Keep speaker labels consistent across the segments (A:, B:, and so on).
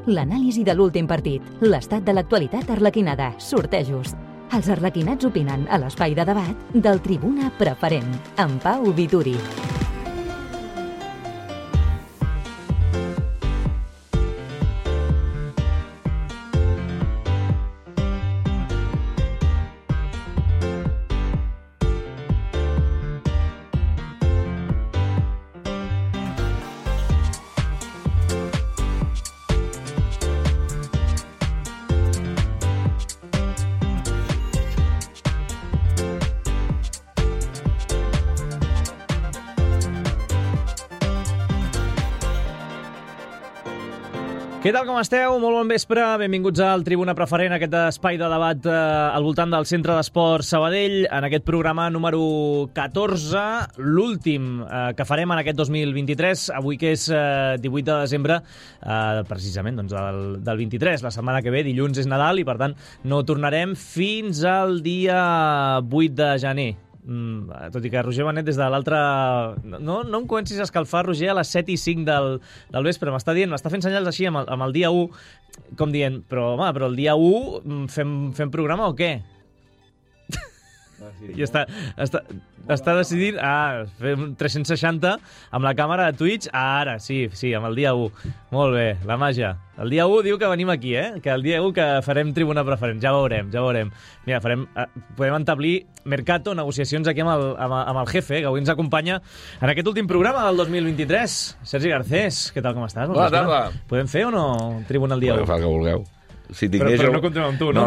A: l'anàlisi de l'últim partit, l'estat de l'actualitat arlequinada, sortejos. Els arlequinats opinen a l'espai de debat del Tribuna Preferent, amb Pau Vituri.
B: Què tal, com esteu? Molt bon vespre. Benvinguts al Tribuna Preferent, aquest espai de debat al voltant del Centre d'Esport Sabadell, en aquest programa número 14, l'últim que farem en aquest 2023, avui que és 18 de desembre, precisament doncs, del 23. La setmana que ve, dilluns, és Nadal i, per tant, no tornarem fins al dia 8 de gener. Tot i que Roger Benet des de l'altre... No em comencis a escalfar, Roger, a les 7 i 5 del vespre. M'està fent senyals així amb el dia 1, com dient, però home, però el dia 1 fem programa o què? I està decidint fer un 360 amb la càmera de Twitch. Ara, sí, amb el dia 1. Molt bé, la màgia. El dia 1 diu que venim aquí, que el dia 1 que farem Tribuna Preferent. Ja veurem. Mira, podem entablir mercato, negociacions aquí amb el jefe, que avui ens acompanya en aquest últim programa del 2023. Sergi Garcés, què tal, com estàs?
C: Bona tarda.
B: Podem fer o no Tribuna el dia 1?
C: Podeu fer el que vulgueu. Si
B: però no comptem amb tu, no?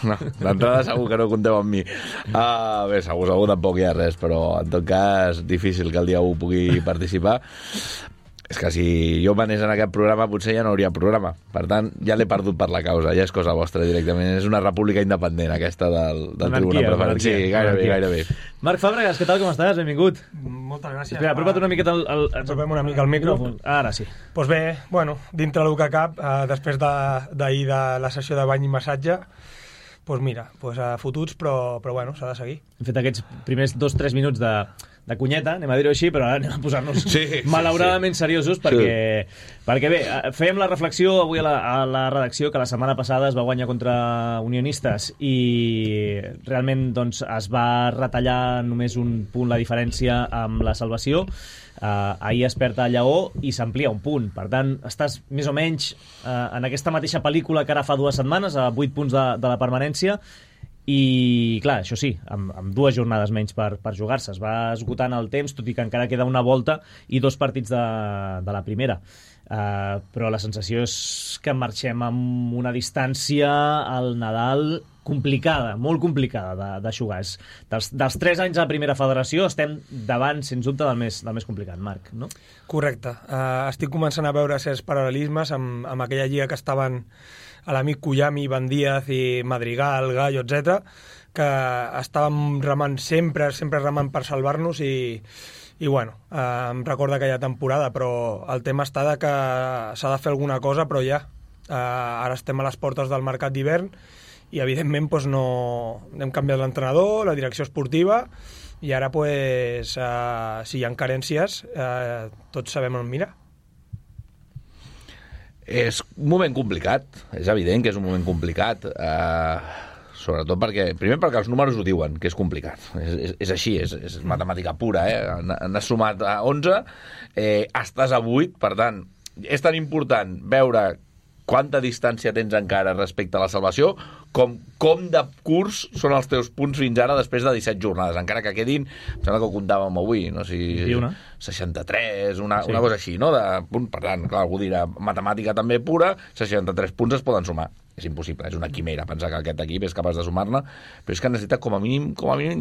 C: No, d'entrada segur que no compteu amb mi. Bé, segur tampoc hi ha res, però en tot cas difícil que el dia 1 pugui participar. És que si jo manés en aquest programa potser ja no hauria programa. Per tant, ja l'he perdut per la causa. Ja és cosa vostra directament. És una república independent aquesta del Tribuna Preferent. Sí, gairebé.
B: Marc Fàbregas, què tal, com estàs? Benvingut.
D: Moltes gràcies.
B: Espera, apropa't una miqueta
D: apropem una mica el micro.
B: Ara sí.
D: Doncs bé, bueno, dintre del que cap, després d'ahir de la sessió de bany i massatge, doncs mira, fotuts, però bueno, s'ha de seguir.
B: Hem fet aquests primers 2-3 minuts de cunyeta, anem a dir-ho així, però ara anem a posar-nos malauradament seriosos, perquè bé, fèiem la reflexió avui a la redacció que la setmana passada es va guanyar contra Unionistes i realment doncs, es va retallar només un punt la diferència amb la salvació. Ahir es perd a Lleó i s'amplia un punt. Per tant, estàs més o menys en aquesta mateixa pel·lícula que ara fa 2 setmanes, a 8 punts de la permanència. I clar, això sí, amb 2 jornades menys per jugar-se. Es va esgotant el temps, tot i que encara queda una volta i 2 partits de la primera. Però la sensació és que marxem amb una distància al Nadal complicada, molt complicada de jugar. Dels 3 anys a la primera federació estem davant, sens dubte, del més complicat, Marc, no?
D: Correcte. Estic començant a veure certs paral·lelismes amb aquella lliga que estaven a l'amic Cuyami, Van Díaz i Madrigal, Gallo, etc, que estàvem remant sempre remant per salvar-nos i bueno, em recorda aquella temporada, però el tema està de que s'ha de fer alguna cosa, però ja. Ara estem a les portes del mercat d'hivern i evidentment doncs, no hem canviat l'entrenador, la direcció esportiva i ara pues, si hi ha carències tots sabem on mirar.
C: És un moment complicat, és evident que és un moment complicat, sobretot perquè els números ho diuen, que és complicat. És així, és matemàtica pura. N'has sumat a 11, estàs a 8, per tant, és tan important veure quanta distància tens encara respecte a la salvació, com de curs són els teus punts fins ara després de 17 jornades, encara que quedin, em sembla que ho comptàvem avui, no? 63, una cosa així, no? Per tant, clar, algú dirà, matemàtica també pura, 63 punts es poden sumar. És impossible, és una quimera pensar que aquest equip és capaç de sumar-ne, però és que necessita com a mínim,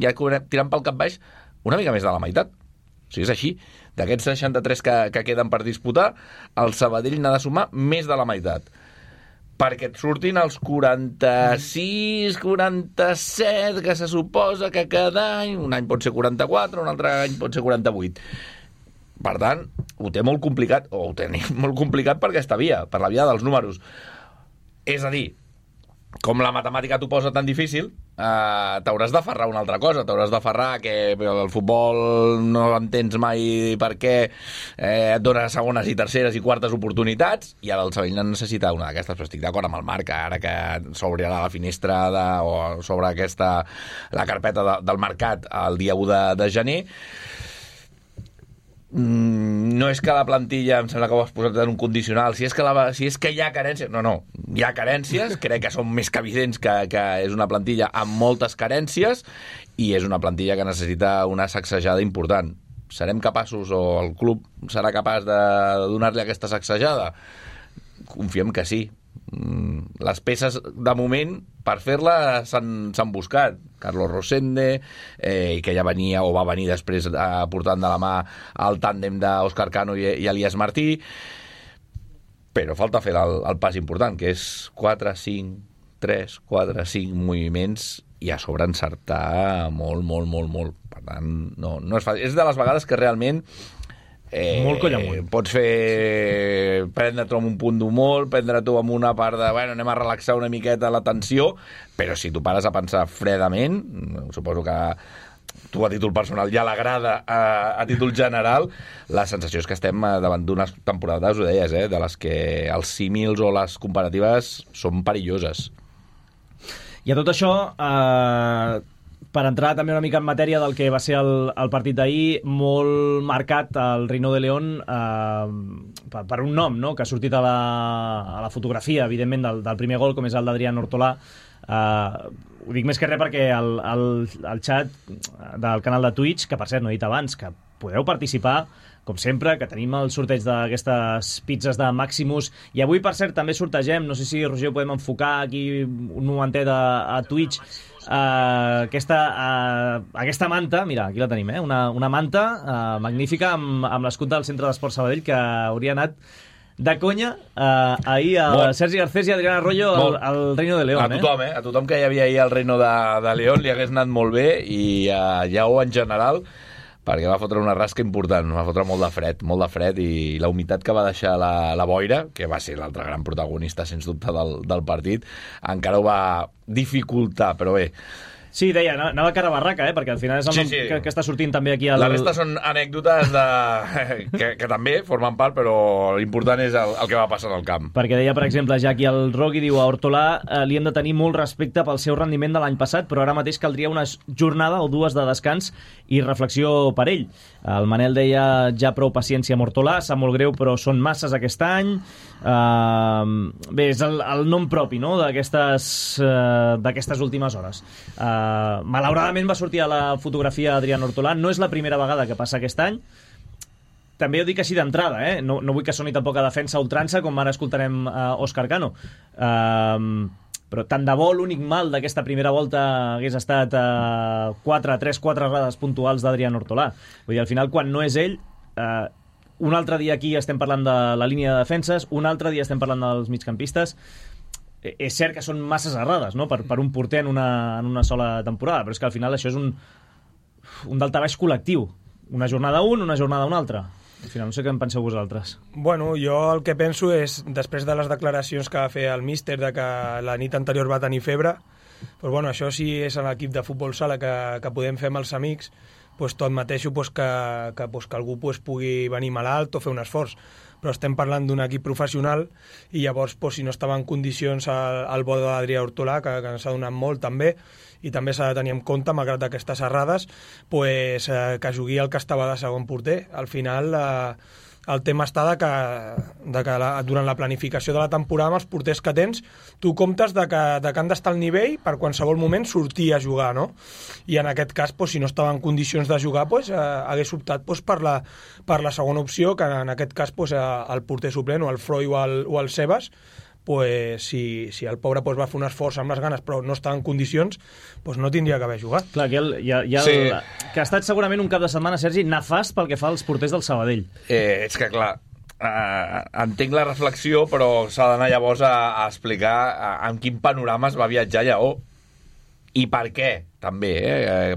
C: ja tirant pel cap baix, una mica més de la meitat. O sigui, és així. D'aquests 63 que queden per disputar, el Sabadell n'ha de sumar més de la meitat. Perquè et surtin els 46, 47, que se suposa que cada any, un any pot ser 44, un altre any pot ser 48. Per tant, ho té molt complicat, o ho tenim molt complicat per aquesta via, per la via dels números. És a dir, com la matemàtica t'ho posa tan difícil, t'hauràs d'aferrar una altra cosa, t'hauràs d'aferrar que el futbol no entens mai per què et dona segones i terceres i quartes oportunitats, i ara el Sabadell necessita una d'aquestes, però estic d'acord amb el Marc, ara que s'obrirà la finestra o s'obre la carpeta del mercat el dia 1 de gener. No és que la plantilla, em sembla que ho has posat en un condicional, si és que hi ha carències, no, hi ha carències, crec que són més que evidents que és una plantilla amb moltes carències i és una plantilla que necessita una sacsejada important. Serem capaços, o el club serà capaç de donar-li aquesta sacsejada? Confiem que sí. Les peces, de moment, per fer-la s'han buscat. Carlos Rosende, que ja venia o va venir després portant de la mà el tàndem d'Òscar Cano i Elias Martí, però falta fer el pas important, que és 4, 5 moviments i a sobre encertar molt. Per tant, no és fàcil. És de les vegades que realment
B: molt coll amunt.
C: Pots prendre-t'ho amb un punt d'humor, prendre-t'ho amb una part de anem a relaxar una miqueta la tensió, però si tu pares a pensar fredament, suposo que tu a títol personal ja l'agrada, a títol general, la sensació és que estem davant d'unes temporades, ho deies, de les que els símils o les comparatives són perilloses.
B: I a tot això, per entrar també una mica en matèria del que va ser el partit d'ahir, molt marcat el Reino de León per un nom, no?, que ha sortit a la fotografia, evidentment, del primer gol, com és el d'Adrián Hortolà. Ho dic més que res perquè el xat del canal de Twitch, que per cert no he dit abans, que podeu participar, com sempre, que tenim el sorteig d'aquestes pizzas de Maximus, i avui, per cert, també sortegem, no sé si, Roger, podem enfocar aquí un momentet a Twitch, aquesta manta, mira, aquí la tenim, una manta magnífica amb l'escut del Centre d'Esport Sabadell, que hauria anat de conya ahir a Sergi Garcés i Adrián Arroyo al Reino de León.
C: A tothom que hi havia ahir al Reino de León li hagués anat molt bé, i a Lleó en general, perquè va fotre una rasca important, va fotre molt de fred, i la humitat que va deixar la boira, que va ser l'altre gran protagonista, sens dubte, del partit, encara ho va dificultar, però bé.
B: Sí, deia, anava cara barraca, perquè al final és el nom que està sortint també aquí.
C: La resta són anècdotes que també formen part, però l'important és el que va passar en el camp.
B: Perquè deia, per exemple, ja aquí el Rogui diu a Hortolà li hem de tenir molt respecte pel seu rendiment de l'any passat, però ara mateix caldria una jornada o dues de descans i reflexió per ell. El Manel deia ja prou paciència amb Hortolà, sap molt greu, però són masses aquest any. Bé, és el nom propi, no?, d'aquestes últimes hores. Malauradament va sortir a la fotografia Adrián Hortolà. No és la primera vegada que passa aquest any. També ho dic així d'entrada, no vull que soni tampoc a defensa ultrança, com ara escoltarem Òscar Cano, però tant de bo l'únic mal d'aquesta primera volta hagués estat 4 errades puntuals d'Adrián Hortolà. Vull dir, al final, quan no és ell, un altre dia aquí estem parlant de la línia de defenses, un altre dia estem parlant dels migcampistes. És cert que són masses errades, no?, per un porter en una sola temporada, però és que al final això és un daltabaix col·lectiu. Una jornada un, una jornada una altra. Al final no sé què en penseu vosaltres.
D: Bueno, jo el que penso és, després de les declaracions que va fer el míster de que la nit anterior va tenir febre, doncs bueno, això sí és a l'equip de futbol sala que podem fer amb els amics, doncs tot mateix que algú pugui venir malalt o fer un esforç. Però estem parlant d'un equip professional i llavors, si no estava en condicions el bo d'Adrià Hortolà, que ens ha donat molt també, i també s'ha de tenir en compte, malgrat aquestes errades, que jugui el que estava de segon porter. Al final, el tema està de que durant la planificació de la temporada, amb els porters que tens, tu comptes de que han d'estar al nivell per qualsevol moment sortir a jugar, no? I en aquest cas, si no estava en condicions de jugar, hagués optat per la segona opció, que en aquest cas el porter suplent, o el Freud o el Sebas, si el pobre va fer un esforç amb les ganes però no estava en condicions, no tindria que haver jugat.
B: Clar, que ha estat segurament un cap de setmana, Sergi, nefast pel que fa als porters del Sabadell.
C: És que, clar, entenc la reflexió, però s'ha d'anar llavors a explicar en quin panorama es va viatjar Lleó i per què, també,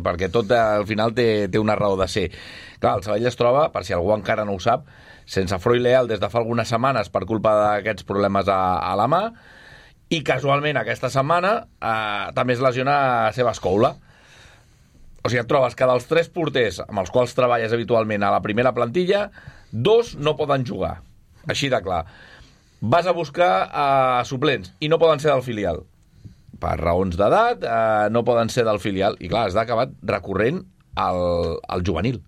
C: perquè tot al final té una raó de ser. Clar, el Sabadell es troba, per si algú encara no ho sap, sense Freud Leal des de fa algunes setmanes per culpa d'aquests problemes a la mà, I casualment aquesta setmana també es lesiona Sebas Coula. O sigui, et trobes que dels 3 porters amb els quals treballes habitualment a la primera plantilla, 2 no poden jugar. Així de clar. Vas a buscar suplents i no poden ser del filial. Per raons d'edat, no poden ser del filial. I clar, has d'acabar recorrent al juvenil.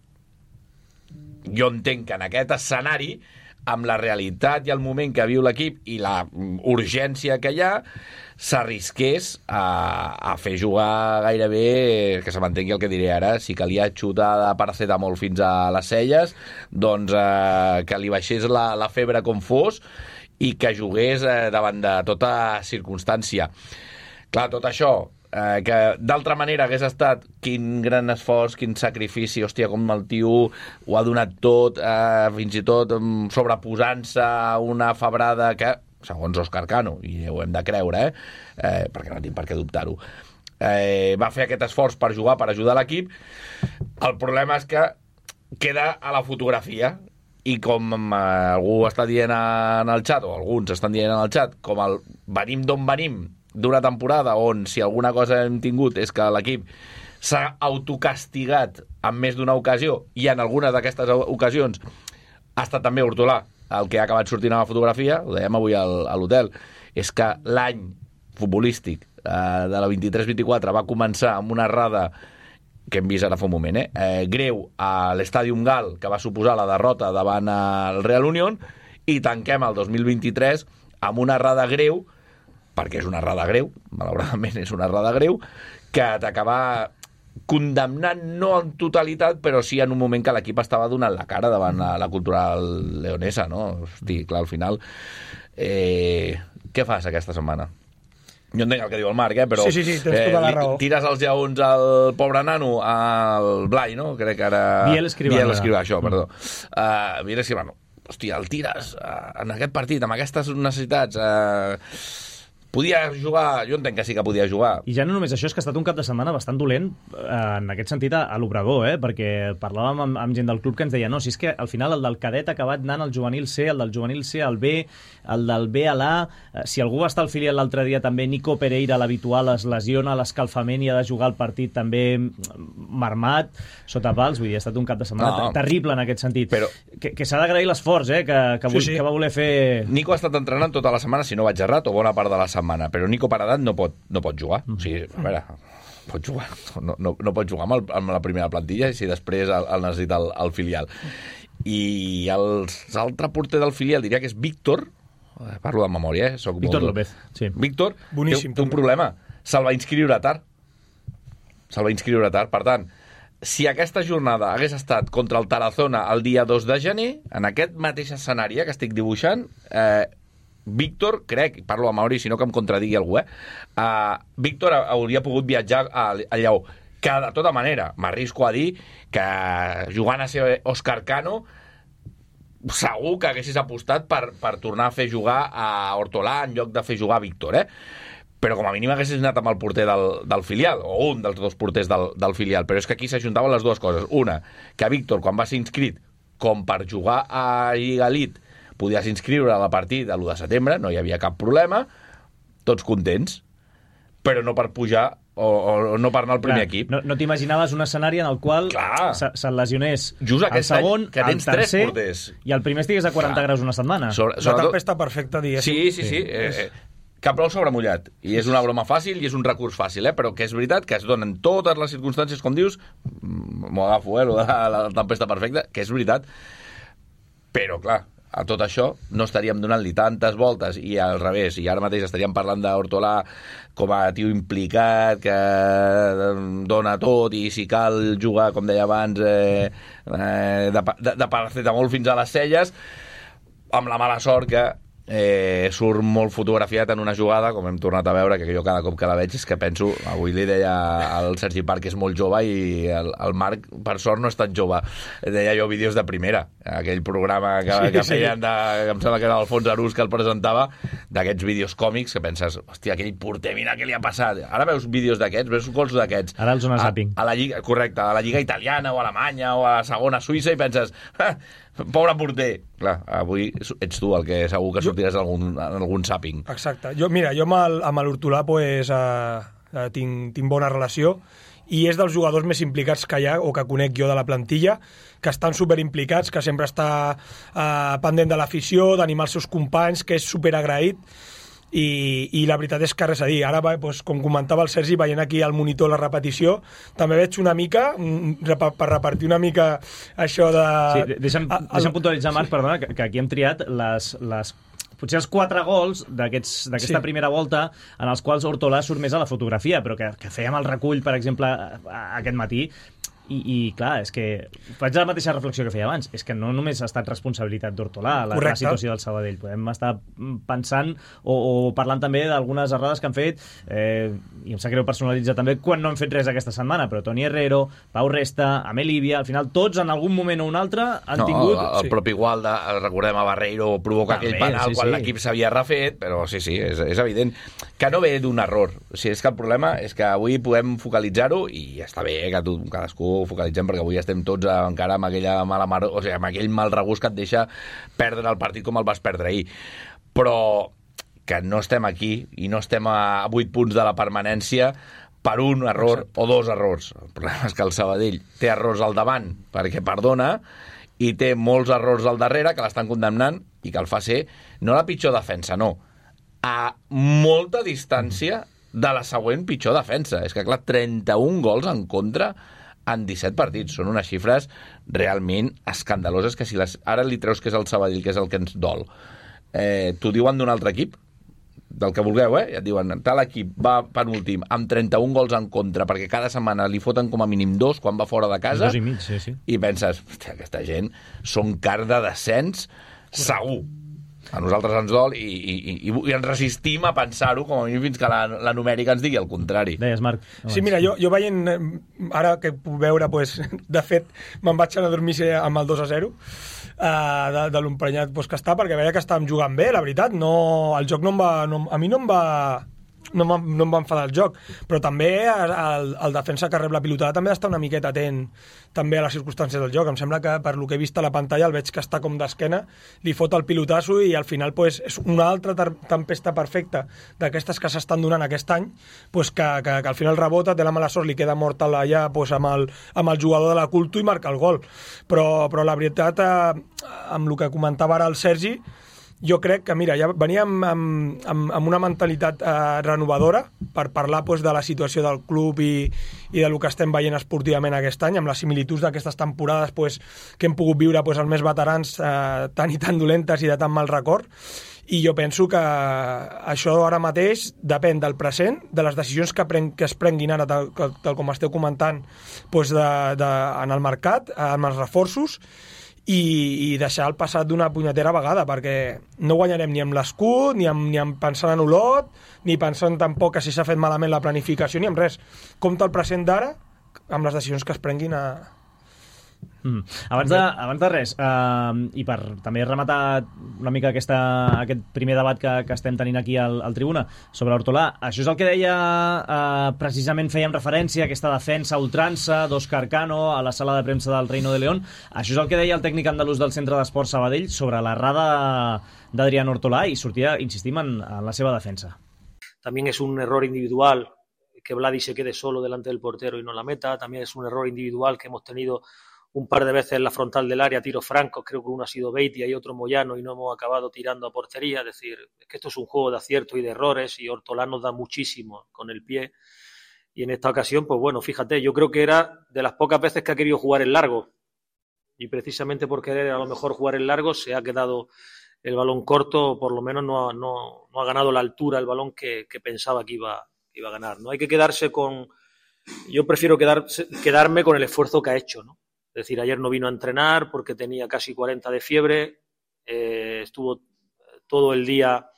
C: Jo entenc que en aquest escenari, amb la realitat i el moment que viu l'equip i la urgència que hi ha, s'arrisqués a fer jugar gairebé, que se m'entengui el que diré ara, si calia xutar de paracetamol fins a les celles, doncs que li baixés la febre com fos i que jugués davant de tota circumstància. Clar, tot això, que d'altra manera hagués estat quin gran esforç, quin sacrifici, hòstia, com el tio ho ha donat tot, fins i tot sobreposant-se a una febrada que, segons Òscar Cano, i ho hem de creure, perquè no tinc per què dubtar-ho, va fer aquest esforç per jugar, per ajudar l'equip. El problema és que queda a la fotografia, i com algú està dient en el xat, o alguns estan dient en el xat, com el venim d'on venim, d'una temporada on, si alguna cosa hem tingut, és que l'equip s'ha autocastigat en més d'una ocasió, i en algunes d'aquestes ocasions ha estat també Hortolà el que ha acabat sortint a la fotografia, ho dèiem avui a l'hotel, és que l'any futbolístic de la 23-24 va començar amb una errada que hem vist ara fa un moment, greu a l'Estadium Gal, que va suposar la derrota davant el Real Unión, i tanquem el 2023 amb una errada greu, perquè és una errada greu, malauradament és una errada greu, que t'acaba condemnant no en totalitat, però sí en un moment que l'equip estava donant la cara davant la cultural leonesa, no? Hosti, clar, al final... què fas aquesta setmana? Jo entenc el que diu el Marc, però...
D: Sí, tens tota la raó.
C: Tires els lleons al pobre nano, al Blai, no? Crec que ara...
B: Biel Escribano,
C: això, perdó. Biel Escribano. Hòstia, el tires en aquest partit, amb aquestes necessitats... Podia jugar, jo entenc que sí que podia jugar.
B: I ja no només això, és que ha estat un cap de setmana bastant dolent en aquest sentit a l'Obrador, perquè parlàvem amb gent del club que ens deia no, si és que al final el del cadet ha acabat anant al juvenil C, el del juvenil C al B, el del B a l'A, si algú va estar al filial l'altre dia també, Nico Pereira, l'habitual, es lesiona a l'escalfament i ha de jugar el partit també marmat, sota pals, vull dir, ha estat un cap de setmana terrible en aquest sentit. Però... Que s'ha d'agrair l'esforç, que va voler fer...
C: Nico ha estat entrenant tota la setmana, si no vaig errat, o bona part de la setmana, però Nico per edat no pot jugar. O sigui, a veure, pot jugar. No pot jugar amb la primera plantilla i si després el necessita el filial. I l'altre porter del filial diria que és Víctor, parlo de memòria,
B: Víctor López, sí.
C: Víctor
D: boníssim,
C: té un problema, se'l va inscriure tard. Per tant, si aquesta jornada hagués estat contra el Tarazona el dia 2 de gener, en aquest mateix escenari que estic dibuixant, Víctor, crec, parlo a Mauri, si no que em contradigui algú, Víctor hauria pogut viatjar a Lleó, que de tota manera m'arrisco a dir que jugant a ser Òscar Cano segur que haguessis apostat per tornar a fer jugar a Hortolà en lloc de fer jugar a Víctor, però com a mínim haguessis anat amb el porter del filial, o un dels dos porters del filial, però és que aquí s'ajuntaven les dues coses. Una, que Víctor, quan va ser inscrit com per jugar a Lliga Elite, podies inscriure a la partida de l'1 de setembre, no hi havia cap problema, tots contents, però no per pujar o no per anar al primer equip.
B: No t'imaginaves un escenari en el qual se'n lesionés el segon, el tercer, i el primer estigués a 40 graus una setmana.
D: La tempesta perfecta, diguéssim.
C: Sí. Que plou sobre mullat. I és una broma fàcil i és un recurs fàcil, però que és veritat que es donen totes les circumstàncies, com dius, m'ho agafo, la tempesta perfecta, que és veritat. Però, clar, a tot això no estaríem donant-li tantes voltes i al revés, i ara mateix estaríem parlant d'Hortolà com a tio implicat que dona tot i si cal jugar, com deia abans, de paracetamol fins a les celles, amb la mala sort que surt molt fotografiat en una jugada, com hem tornat a veure, que jo cada cop que la veig és que penso, avui li deia al Sergi Parc que és molt jove i el Marc per sort no és tan jove, deia jo vídeos de primera, aquell programa que feien que em sembla que era Alfons Arús que el presentava, d'aquests vídeos còmics que penses, hòstia, aquell porter, mira què li ha passat, ara veus vídeos d'aquests, veus gols d'aquests
B: ara el zona zapping
C: a la Lliga, correcte, a la Lliga italiana o alemanya o a la segona Suïssa i penses, Pobre porter. Clar, avui ets tu el que segur que sortiràs en algun zapping.
D: Exacte. Jo amb l'Hortolà pues, tinc bona relació i és dels jugadors més implicats que hi ha o que conec jo de la plantilla, que estan superimplicats, que sempre està pendent de l'afició, d'animar els seus companys, que és superagraït. I la veritat és que res a dir. Ara, doncs, com comentava el Sergi, veient aquí al monitor la repetició, també veig una mica, per repartir una mica això de...
B: Sí, deixa'm puntualitzar, Marc, perdona, que aquí hem triat potser els 4 gols d'aquesta primera volta en els quals Hortolà surt més a la fotografia, però que fèiem el recull, per exemple, aquest matí, i clar, és que faig la mateixa reflexió que feia abans, és que no només ha estat responsabilitat d'Hortolà la situació del Sabadell, podem estar pensant o parlant també d'algunes errades que han fet, i em sap greu personalitzar també quan no hem fet res aquesta setmana, però Toni Herrero, Pau Resta, Amel Líbia, al final tots en algun moment o un altre han tingut...
C: El propi Gualda, recordem a Barreiro, provoca aquell penal quan l'equip s'havia refet, però sí, és evident que no ve d'un error. O sigui, és que el problema és que avui podem focalitzar-ho i està bé que cadascú focalitzem, perquè avui estem tots encara amb aquella mala mar... O sigui, amb aquell mal regust que et deixa perdre el partit com el vas perdre ahir. Però que no estem aquí i no estem a 8 punts de la permanència per un error o 2 errors. El problema és que el Sabadell té errors al davant perquè perdona i té molts errors al darrere que l'estan condemnant i que el fa ser no la pitjor defensa, no, a molta distància de la següent pitjor defensa. És que, clar, 31 gols en contra en 17 partits. Són unes xifres realment escandaloses que si ara li treus que és el Sabadell, que és el que ens dol, t'ho diuen d'un altre equip, del que vulgueu, ja et diuen, tal equip va penúltim amb 31 gols en contra, perquè cada setmana li foten com a mínim 2 quan va fora de casa,
B: 2 i mig, sí.
C: I penses, hòstia, aquesta gent són car de descens segur. A nosaltres ens dol i ens resistim a pensar-ho com a mínim fins que la numèrica ens digui el contrari.
B: Deies, Marc.
D: Sí, mira, jo veient, ara que puc veure, pues, de fet, me'n vaig anar a dormir amb el 2-0 de l'emprenyat que està, perquè veia que estàvem jugant bé, la veritat. El joc a mi no em va enfadar el joc, però també el defensa que rep la pilotada també ha d'estar una miqueta atent també a les circumstàncies del joc. Em sembla que per lo que he vist a la pantalla el veig que està com d'esquena, li fot el pilotasso i al final pues, és una altra tempesta perfecta d'aquestes que s'estan donant aquest any, pues, que al final rebota, té la mala sort, li queda mort allà pues, amb el jugador de la Culto i marca el gol. Però la veritat, amb el que comentava ara el Sergi, jo crec que, mira, ja veníem amb una mentalitat renovadora per parlar pues, de la situació del club i del que estem veient esportivament aquest any, amb les similituds d'aquestes temporades pues, que hem pogut viure pues, els més veterans tan i tan dolentes i de tan mal record. I jo penso que això ara mateix depèn del present, de les decisions que es prenguin ara, tal com esteu comentant, pues, en el mercat, amb els reforços, i deixar el passat d'una punyetera vegada, perquè no guanyarem ni amb l'escut, ni amb pensant en Olot, ni pensant tampoc que si s'ha fet malament la planificació, ni amb res. Compte el present d'ara amb les decisions que es prenguin
B: Abans de res, i per també rematar una mica aquest primer debat que estem tenint aquí al Tribuna sobre Hortolà, això és el que deia precisament, fèiem referència a aquesta defensa ultrança d'Òscar Cano a la sala de premsa del Reino de León. Això és el que deia el tècnic andalús del Centre d'Esports Sabadell sobre l'errada d'Adrián Hortolà i sortia, insistim, en la seva defensa.
E: También es un error individual que Vladi se quede solo delante del portero y no la meta. También es un error individual que hemos tenido un par de veces en la frontal del área, tiros francos, creo que uno ha sido Beitia y otro Moyano y no hemos acabado tirando a portería. Es decir, es que esto es un juego de aciertos y de errores y Hortolà nos da muchísimo con el pie. Y en esta ocasión, pues bueno, fíjate, yo creo que era de las pocas veces que ha querido jugar en largo. Y precisamente por querer a lo mejor jugar en largo se ha quedado el balón corto, o por lo menos no ha ganado la altura el balón que pensaba que iba a ganar. No hay que quedarse con... Yo prefiero quedarme con el esfuerzo que ha hecho, ¿no? Es decir, ayer no vino a entrenar porque tenía casi 40 de fiebre, estuvo todo el día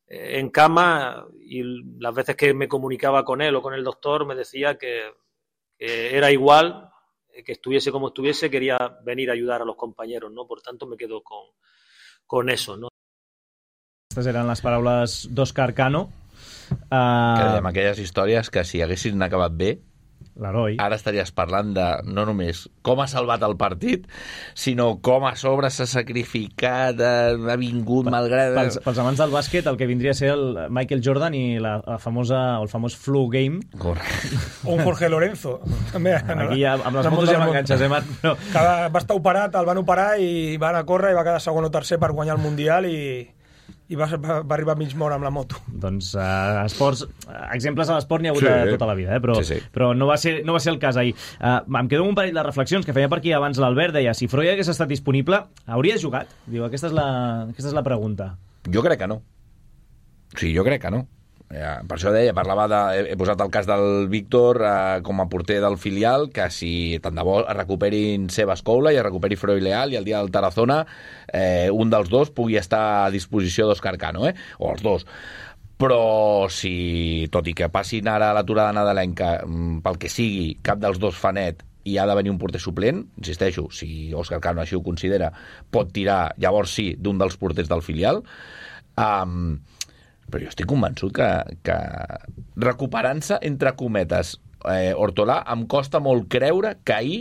E: en cama y las veces que me comunicaba con él o con el doctor me decía que era igual, que estuviese como estuviese, quería venir a ayudar a los compañeros, ¿no? Por tanto, me quedo con eso, ¿no?
B: Aquestes eren les paraules d'Òscar Cano.
C: Que dèiem aquelles històries que si haguessin acabat bé
B: l'heroi.
C: Ara estaries parlant de no només com ha salvat el partit, sinó com a sobre s'ha sacrificat, ha vingut malgrat...
B: Pels amants del bàsquet, el que vindria a ser el Michael Jordan i el famós flu game.
C: Correcte.
D: O un Jorge Lorenzo. També,
B: aquí ja, amb les motos ja m'enganxes, Marc? No.
D: Va estar operat, el van operar i va anar a córrer i va quedar segon o tercer per guanyar el Mundial i va arribar a mig mort amb la moto.
B: Doncs esports, exemples a l'esport n'hi ha hagut tota la vida, però no va ser el cas ahir. Em quedo amb un parell de reflexions que feia per aquí abans l'Albert, deia, si Freud hagués estat disponible, hauria jugat? Diu, aquesta és la pregunta.
C: Jo crec que no. Sí, jo crec que no. Per això deia, he posat el cas del Víctor com a porter del filial, que si tant de bo es recuperin Sebas Coula i es recuperi Freud Leal i el dia del Tarazona un dels dos pugui estar a disposició d'Òscar Cano, o els dos. Però si, tot i que passin ara a l'aturada nadalenca, pel que sigui, cap dels dos fa net i ha de venir un porter suplent, insisteixo, si Òscar Cano així ho considera, pot tirar, llavors sí, d'un dels porters del filial. Però jo estic convençut que recuperant-se, entre cometes, Hortolà, em costa molt creure que ahir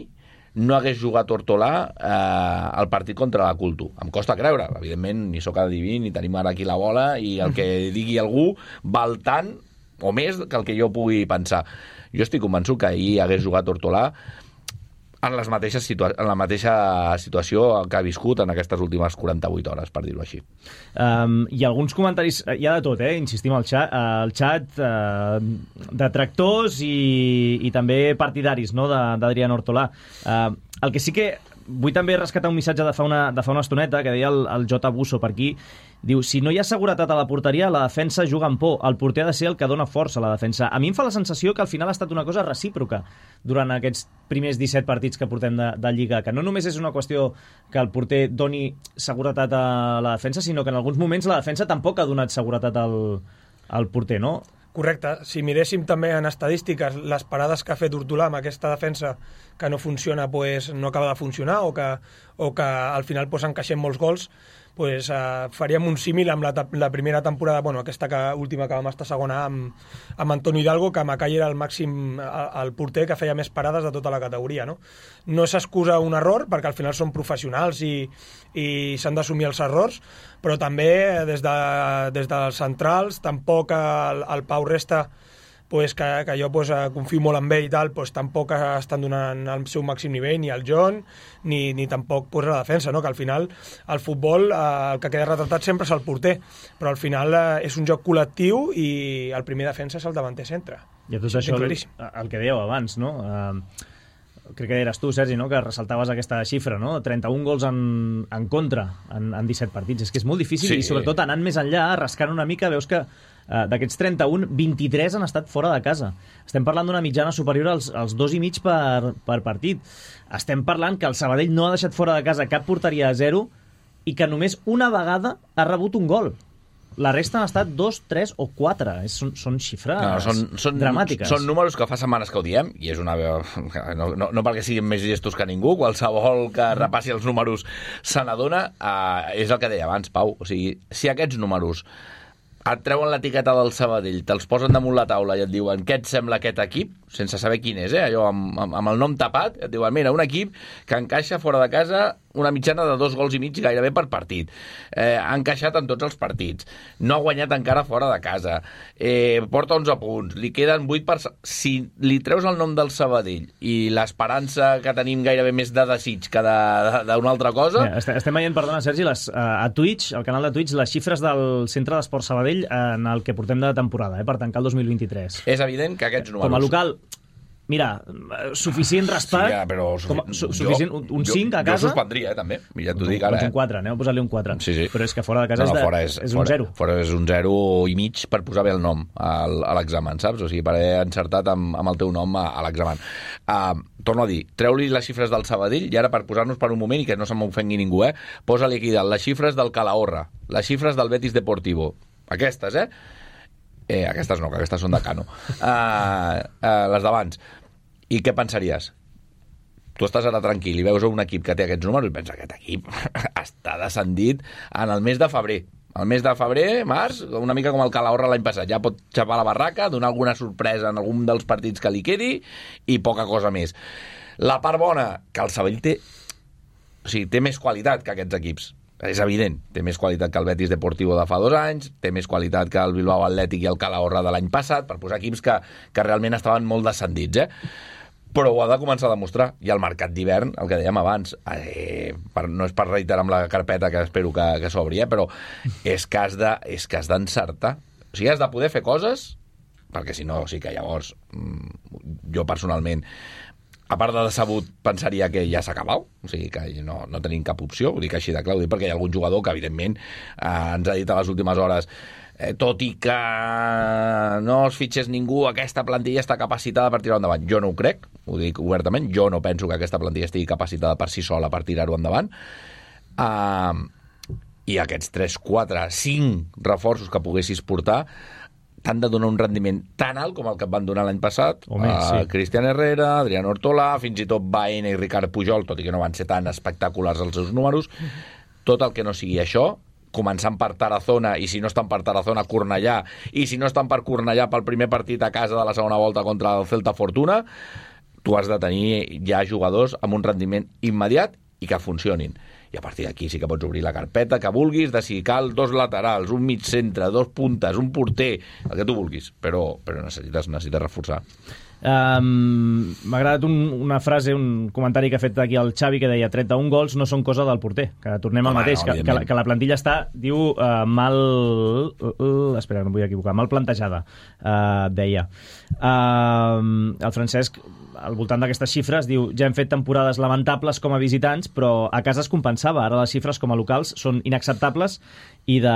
C: no hagués jugat Hortolà al partit contra la Culto. Em costa creure. Evidentment, ni sóc adiví, ni tenim ara aquí la bola, i el que digui algú val tant o més que el que jo pugui pensar. Jo estic convençut que ahir hagués jugat Hortolà en la mateixa situació que ha viscut en aquestes últimes 48 hores, per dir-ho així.
B: Hi ha alguns comentaris, hi ha de tot, insistim, al xat detractors i també partidaris, no?, d'Adrián Hortolà. El que sí que vull també rescatar un missatge de fa una estoneta que deia el J. Busso per aquí. Diu, si no hi ha seguretat a la porteria, la defensa juga amb por. El porter ha de ser el que dona força a la defensa. A mi em fa la sensació que al final ha estat una cosa recíproca durant aquests primers 17 partits que portem de Lliga, que no només és una qüestió que el porter doni seguretat a la defensa, sinó que en alguns moments la defensa tampoc ha donat seguretat al porter, no?
D: Correcte. Si miréssim també en estadístiques les parades que ha fet Hortolà amb aquesta defensa que no funciona, pues, no acaba de funcionar o que al final pues, encaixem molts gols, pues, faríem un símil amb la primera temporada, aquesta última que vam estar segona amb Antonio Hidalgo, que Macai era el màxim, el porter que feia més parades de tota la categoria. No s'excusa un error, perquè al final són professionals i s'han d'assumir els errors, però també des dels centrals, tampoc el Pau Resta, pues, que jo confio molt en ell i tal, pues, tampoc estan donant el seu màxim nivell, ni el John, ni tampoc pues, la defensa, no? Que al final el futbol el que queda retratat sempre és el porter, però al final és un joc col·lectiu i el primer defensa és el davanter centre.
B: I a tot això el que dèieu abans, no? Crec que eres tu, Sergi, no?, que ressaltaves aquesta xifra, no? 31 gols en contra en 17 partits. És que és molt difícil, i sobretot anant més enllà, rascant una mica, veus que d'aquests 31, 23 han estat fora de casa. Estem parlant d'una mitjana superior als 2,5 per partit. Estem parlant que el Sabadell no ha deixat fora de casa cap porteria a 0 i que només una vegada ha rebut un gol. La resta han estat 2, 3 o 4. Són xifres dramàtiques.
C: Són números que fa setmanes que ho diem, i és una... No perquè siguin més gestos que ningú, qualsevol que repassi els números se n'adona. És el que deia abans, Pau. O sigui, si aquests números et treuen l'etiqueta del Sabadell, te'ls posen damunt la taula i et diuen què et sembla aquest equip, sense saber quin és, allò amb el nom tapat, et diuen, mira, un equip que encaixa fora de casa una mitjana de 2 gols i mig gairebé per partit. Ha encaixat en tots els partits. No ha guanyat encara fora de casa. Porta 11 punts. Li queden 8 per... Si li treus el nom del Sabadell i l'esperança que tenim gairebé més de desig que d'una altra cosa...
B: Estem veient, perdona, Sergi, a Twitch, al canal de Twitch, les xifres del Centre d'Esport Sabadell en el que portem de temporada, per tancar el 2023.
C: És evident que aquests números...
B: Com a local... Mira, suficient raspat, suficient, un 5 a casa...
C: Jo suspendria, també. Ja t'ho dic ara.
B: Un 4, aneu a posar-li un 4.
C: Sí.
B: Però és que fora de casa és un 0.
C: Fora és un 0 i mig per posar bé el nom a l'examen, saps? O sigui, per haver encertat amb el teu nom a l'examen. Torno a dir, treu-li les xifres del Sabadell i ara per posar-nos per un moment i que no se m'ofengui ningú, posa-li aquí dalt les xifres del Calahorra, les xifres del Betis Deportivo. Aquestes, aquestes no, que aquestes són de Cano. Les d'abans. I què pensaries? Tu estàs ara tranquil i veus un equip que té aquests números i pensa que aquest equip està descendit en el mes de febrer. al mes de febrer, març, una mica com el Calahorra l'any passat. Ja pot xapar la barraca, donar alguna sorpresa en algun dels partits que li quedi i poca cosa més. La part bona, que el Sabadell té més qualitat que aquests equips. És evident, té més qualitat que el Betis Deportivo de fa 2 anys, té més qualitat que el Bilbao Atlètic i el Calahorra de l'any passat, per posar equips que realment estaven molt descendits, però ho ha de començar a demostrar. I el mercat d'hivern, el que dèiem abans, no és per reiterar amb la carpeta que espero que s'obri, però és que has d'encertar. O sigui, has de poder fer coses, perquè si no, sí que llavors jo personalment, a part de decebut, pensaria que ja s'ha acabat, o sigui que no tenim cap opció, ho dic així de clar, ho dic perquè hi ha algun jugador que evidentment ens ha dit a les últimes hores tot i que no es fitxés ningú, aquesta plantilla està capacitada per tirar endavant. Jo no ho crec, ho dic obertament, jo no penso que aquesta plantilla estigui capacitada per si sola per tirar-ho endavant. I aquests 3, 4, 5 reforços que poguessis portar t'han de donar un rendiment tan alt com el que et van donar l'any passat. Cristian Herrera, Adrián Hortolà, fins i tot Baena i Ricard Pujol, tot i que no van ser tan espectaculars els seus números. Tot el que no sigui això, començant per Tarazona, i si no estan per Tarazona, Cornellà, i si no estan per Cornellà pel primer partit a casa de la segona volta contra el Celta Fortuna, tu has de tenir ja jugadors amb un rendiment immediat i que funcionin. I a partir d'aquí sí que pots obrir la carpeta que vulguis, de si cal 2 laterals, un mig centre, 2 puntes, un porter, el que tu vulguis, però necessites reforçar.
B: M'ha agradat una frase, un comentari que ha fet aquí el Xavi, que deia 31 gols no són cosa del porter, que tornem al mateix, que la plantilla està, diu, espera, no em vull equivocar, mal plantejada, deia. El Francesc, al voltant d'aquestes xifres, diu, ja hem fet temporades lamentables com a visitants, però a casa es compensava, ara les xifres com a locals són inacceptables i de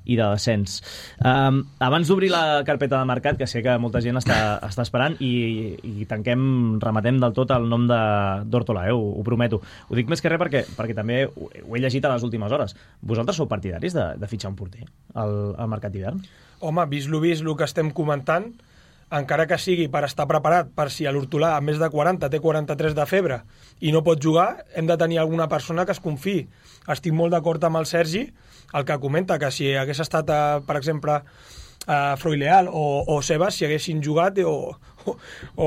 B: descens. Abans d'obrir la carpeta de mercat, que sé que molta gent està esperant, i rematem del tot el nom d'Hortolà, ho prometo. Ho dic més que res perquè també ho he llegit a les últimes hores. Vosaltres sou partidaris de fitxar un porter al mercat d'hivern?
D: Home, vist el que estem comentant, encara que sigui per estar preparat per si l'Hortolà a més de 40 té 43 de febre i no pot jugar, hem de tenir alguna persona que es confiï. Estic molt d'acord amb el Sergi, el que comenta que si hagués estat, per exemple, Froileal o Sebas, si haguessin jugat o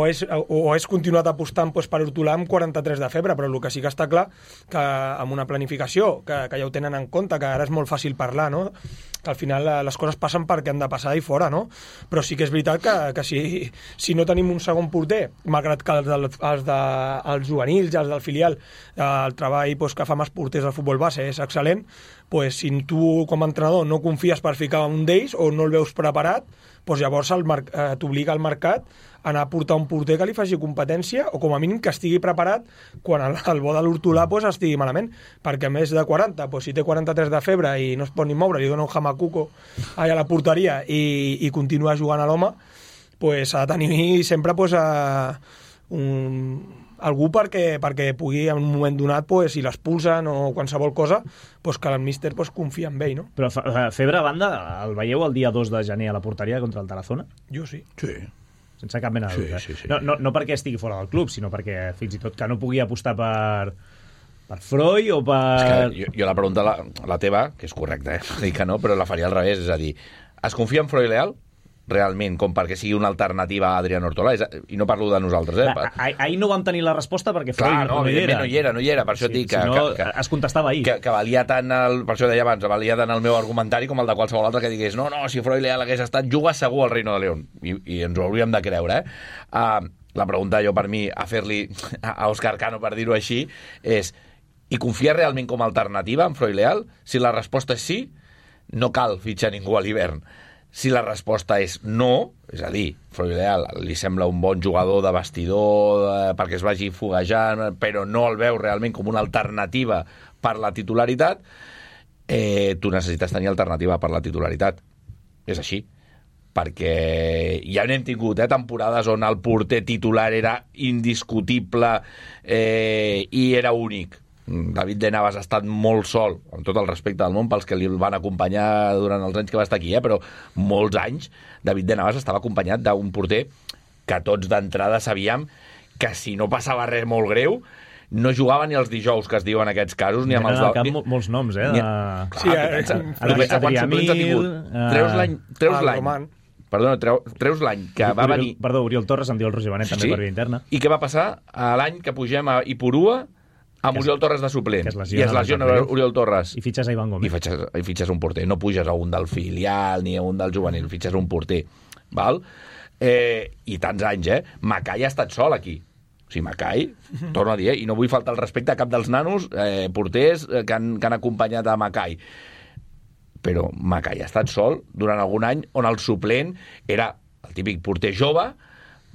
D: és continuat apostant per Hortolà amb 43 de febre, però el que sí que està clar que amb una planificació, que ja ho tenen en compte, que ara és molt fàcil parlar, no? Que al final les coses passen perquè han de passar i fora, no? Però sí que és veritat que si no tenim un segon porter, malgrat que els juvenils i els del filial, el treball que fan els porters del futbol base és excel·lent, si tu com a entrenador no confies per ficar un d'ells o no el veus preparat, llavors t'obliga al mercat a anar a portar un porter que li faci competència o com a mínim que estigui preparat quan el bo de l'Hortolà estigui malament, perquè a més de 40, si té 43 de febre i no es pot ni moure, li dona un jamacuco a la porteria i continua jugant a l'home, s'ha de tenir sempre algú perquè pugui en un moment donat, si l'expulsen o qualsevol cosa, que el míster confia en ell, no?
B: Però febre a banda, el veieu el dia 2 de gener a la porteria contra el Tarazona?
D: Jo sí.
C: Sí.
B: Sense cap mena de dubte.
C: Sí.
B: No perquè estigui fora del club, sinó perquè fins i tot que no pugui apostar per Freud o per...
C: És que jo la pregunta, la teva, que és correcta, dic que no, però la faria al revés, és a dir, es confia en Freud Leal realment, com perquè sigui una alternativa a Adrián Hortolà, i no parlo de nosaltres.
B: Ahir no vam tenir la resposta perquè Freud no hi era, per això et dic que es contestava ahir.
C: Que valia tant, per això deia abans, valia tant el meu argumentari com el de qualsevol altre que digués no, si Freud Leal hagués estat, juga segur al Reino de León, i ens ho hauríem de creure, La pregunta jo per mi, a fer-li a Òscar Cano, per dir-ho així, és, i confia realment com a alternativa en Freud Leal? Si la resposta és sí, no cal fitxar ningú a l'hivern. Si la resposta és no, és a dir, Freud Leal li sembla un bon jugador de vestidor perquè es vagi foguejant, però no el veu realment com una alternativa per la titularitat, tu necessites tenir alternativa per la titularitat. És així. Perquè ja n'hem tingut temporades on el porter titular era indiscutible i era únic. David de Navas ha estat molt sol, amb tot el respecte del món pels que li van acompanyar durant els anys que va estar aquí, però molts anys David de Navas estava acompanyat d'un porter que tots d'entrada sabíem que si no passava res molt greu, no jugava ni els dijous, que es diuen aquests casos, ni amb els...
B: Molts noms,
C: Sí,
B: Adrià Mil...
C: Treus l'any. Perdona, treus l'any que va venir...
B: Perdó, Oriol Torres, em diu el Roger Benet, també per via interna.
C: I què va passar? L'any que pugem a Ipurua amb Oriol Torres de suplent. I es lesiona Oriol Torres.
B: I fitxes a Ivan Gómez.
C: I fitxes un porter. No puges a un del filial ni a un del juvenil, fitxes un porter. Val? I tants anys, Macai ha estat sol aquí. O sigui, Macai, torno a dir, i no vull faltar el respecte a cap dels nanos porters que han acompanyat a Macai. Però Macai ha estat sol durant algun any on el suplent era el típic porter jove,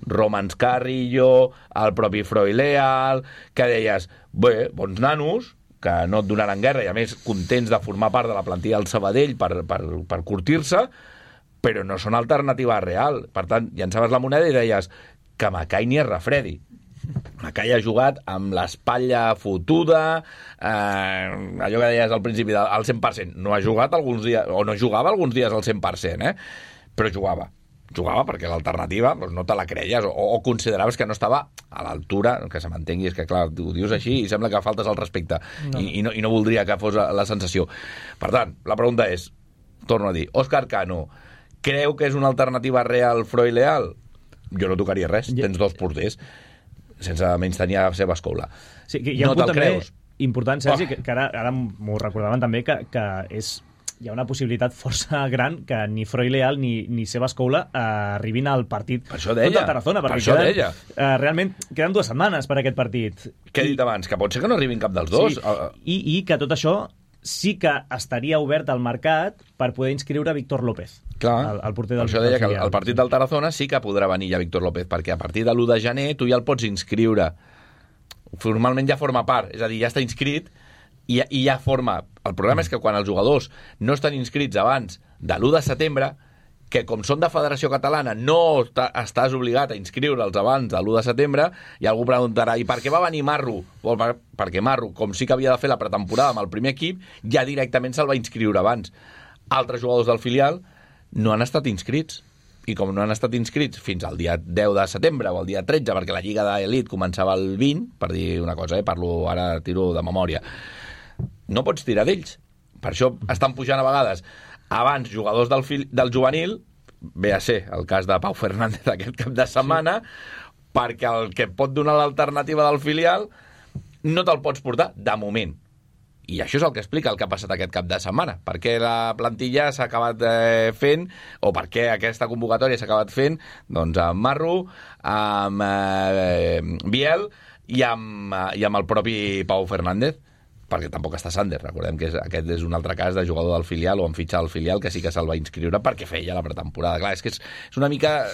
C: Romans Carrillo, el propi Freud Leal, que deies, bé, bons nanos, que no et donaran guerra i a més contents de formar part de la plantilla del Sabadell per curtir-se, però no són alternativa real. Per tant, llançaves la moneda i deies que Macai ni es refredi. Macai ha jugat amb l'espatlla fotuda, allò que deies al principi, al 100%. No ha jugat alguns dies, o no jugava alguns dies al 100%, però jugava. Jugava perquè l'alternativa no te la creies o consideraves que no estava a l'altura, que se m'entengui, és que clar, ho dius així i sembla que faltes al respecte i no voldria que fos la sensació. Per tant, la pregunta és, torno a dir, Òscar Cano creu que és una alternativa real Freud Leal? Jo no tocaria res, tens dos porters sense menys tenir la seva escola.
B: Sí, hi ha un punt també important, Sergi, que ara m'ho recordaven també, que hi ha una possibilitat força gran que ni Freud Leal ni seva escola arribin al partit contra el Tarazona, perquè realment queden 2 setmanes per aquest partit.
C: Què he dit abans? Que pot ser que no arribin cap dels dos.
B: Sí, i que tot això sí que estaria obert al mercat per poder inscriure Víctor López.
C: Clar,
B: el porter del
C: això deia que el partit del Tarazona sí que podrà venir ja Víctor López, perquè a partir de l'1 de gener tu ja el pots inscriure. Formalment ja forma part, és a dir, ja està inscrit i ja forma... El problema és que quan els jugadors no estan inscrits abans de l'1 de setembre, que com són de Federació Catalana no estàs obligat a inscriure'ls abans de l'1 de setembre, i algú preguntarà, i per què va venir Marro? Perquè Marro, com sí que havia de fer la pretemporada amb el primer equip, ja directament se'l va inscriure abans. Altres jugadors del filial no han estat inscrits. I com no han estat inscrits fins al dia 10 de setembre o al dia 13, perquè la Lliga d'Elit començava el 20, per dir una cosa, parlo ara, tiro de memòria, no pots tirar d'ells. Per això estan pujant a vegades abans jugadors del juvenil, ve a ser el cas de Pau Fernández aquest cap de setmana, perquè el que pot donar l'alternativa del filial no te'l pots portar de moment. I això és el que explica el que ha passat aquest cap de setmana. Per què la plantilla s'ha acabat fent, o per què aquesta convocatòria s'ha acabat fent, doncs amb Marro, amb Biel i amb el propi Pau Fernández, perquè tampoc està Sander. Recordem que aquest és un altre cas de jugador del filial o en fitxar al filial que sí que se'l va inscriure perquè feia la pretemporada. Clar, és que és una mica...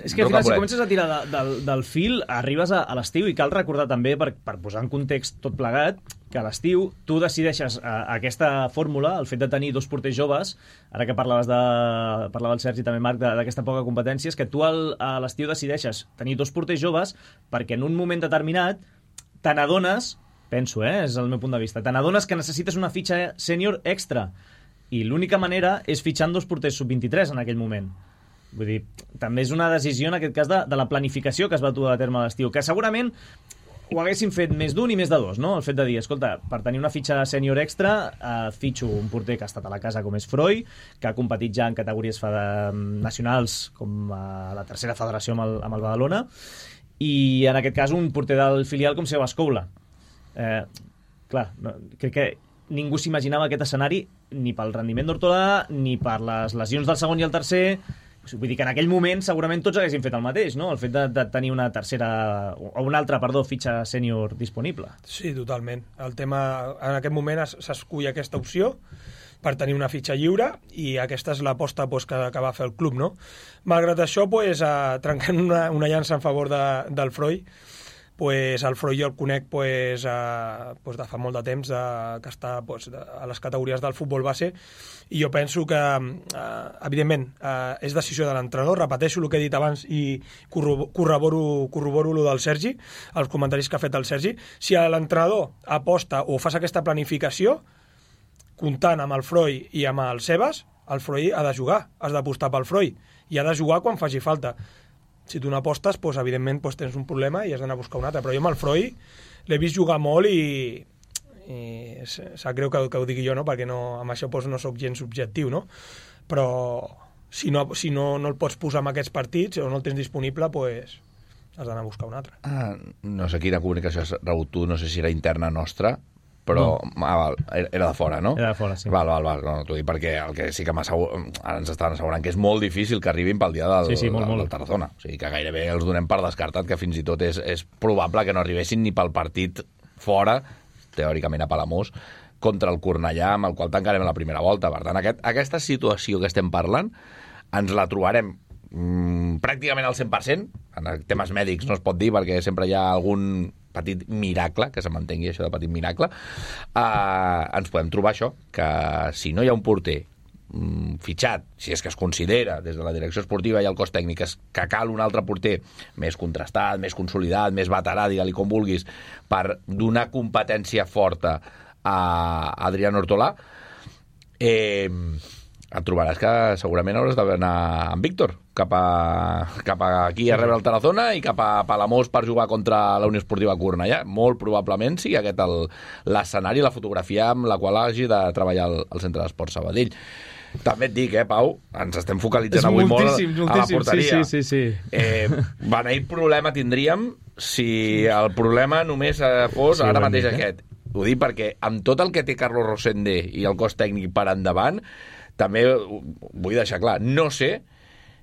B: És que al final, si comences a tirar del fil, arribes a l'estiu, i cal recordar també, per posar en context tot plegat, que a l'estiu tu decideixes aquesta fórmula, el fet de tenir 2 porters joves, ara que parlava el Sergi també, Marc, d'aquesta poca competència, és que tu a l'estiu decideixes tenir 2 porters joves perquè en un moment determinat te n'adones, penso, és el meu punt de vista, te n'adones que necessites una fitxa sènior extra, i l'única manera és fitxant 2 porters sub-23 en aquell moment. Vull dir, també és una decisió en aquest cas de la planificació que es va dur a terme a l'estiu, que segurament ho haguessin fet més d'un i més de 2, no? El fet de dir, escolta, per tenir una fitxa sènior extra fitxo un porter que ha estat a la casa com és Freud, que ha competit ja en categories nacionals com a la 3a federació amb el Badalona, i en aquest cas un porter del filial com Seba Escoula. Clar, crec que ningú s'imaginava aquest escenari ni pel rendiment d'Hortolà ni per les lesions del segon i el tercer. Vull dir que en aquell moment segurament tots haguessin fet el mateix, no? El fet de tenir una altra fitxa sènior disponible.
D: Sí, totalment. El tema, en aquest moment s'escull aquesta opció per tenir una fitxa lliure, i aquesta és l'aposta que va fer el club, no? Malgrat això, trencant una llança en favor del Freud, el Freud jo el conec de fa molt de temps, que està a les categories del futbol base, i jo penso que, evidentment, és decisió de l'entrenador. Repeteixo el que he dit abans i corroboro el del Sergi, els comentaris que ha fet el Sergi. Si l'entrenador aposta o fas aquesta planificació, comptant amb el Freud i amb el Sebas, el Freud ha de jugar, has d'apostar pel Freud, i ha de jugar quan faci falta. Si tu no apostes, evidentment tens un problema i has d'anar a buscar un altre. Però jo amb el Freud l'he vist jugar molt i sap greu que ho digui jo, no? Perquè amb això no soc gens subjectiu, no? Però si no el pots posar en aquests partits o no el tens disponible, pues has d'anar a buscar un altre.
C: No sé quina comunicació has rebut tu, no sé si era interna nostra, però era de fora, no?
B: Era de fora, sí.
C: Val, no, t'ho dic perquè el que sí que ara ens estaven assegurant que és molt difícil que arribin pel dia del Tarazona. O sigui, que gairebé els donem per descartat, que fins i tot és probable que no arribessin ni pel partit fora, teòricament a Palamós, contra el Cornellà, amb el qual tancarem la primera volta. Per tant, aquesta situació que estem parlant ens la trobarem pràcticament al 100%. En temes mèdics no es pot dir, perquè sempre hi ha algun petit miracle, que se m'entengui això de petit miracle. Ens podem trobar això, que si no hi ha un porter fitxat, si és que es considera des de la direcció esportiva i el cos tècnic que cal un altre porter més contrastat, més consolidat, més veterà, digue-li com vulguis, per donar competència forta a Adrián Hortolà, et trobaràs que segurament hauràs d'anar amb Víctor cap aquí a rebre el Tarazona i cap a Palamós per jugar contra la Unió Esportiva Cornellà. Molt probablement sigui aquest l'escenari, la fotografia amb la qual hagi de treballar el Centre d'Esports Sabadell. També et dic, Pau, ens estem focalitzant avui molt a la porteria.
B: Sí.
C: Beneït problema tindríem si el problema només fos ara mateix aquest. Ho dic perquè amb tot el que té Carlos Rosende i el cos tècnic per endavant, també vull deixar clar, no sé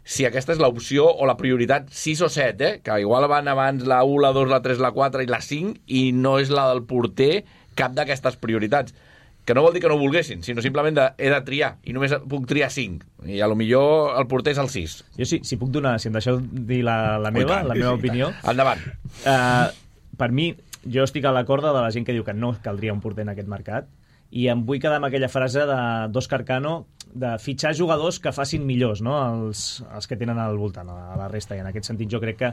C: si aquesta és l'opció o la prioritat 6 o 7, que igual van abans la 1, la 2, la 3, la 4 i la 5 i no és la del porter cap d'aquestes prioritats. Que no vol dir que no ho volguessin, sinó simplement he de triar, i només puc triar 5. I a lo millor el porter és el 6.
B: Jo sí, si puc donar, si em deixeu dir la meva opinió.
C: Endavant.
B: Per mi, jo estic a la corda de la gent que diu que no caldria un porter en aquest mercat, i em vull quedar amb aquella frase d'Òscar Cano de fitxar jugadors que facin millors, no? els que tenen al voltant, a la resta. I en aquest sentit jo crec que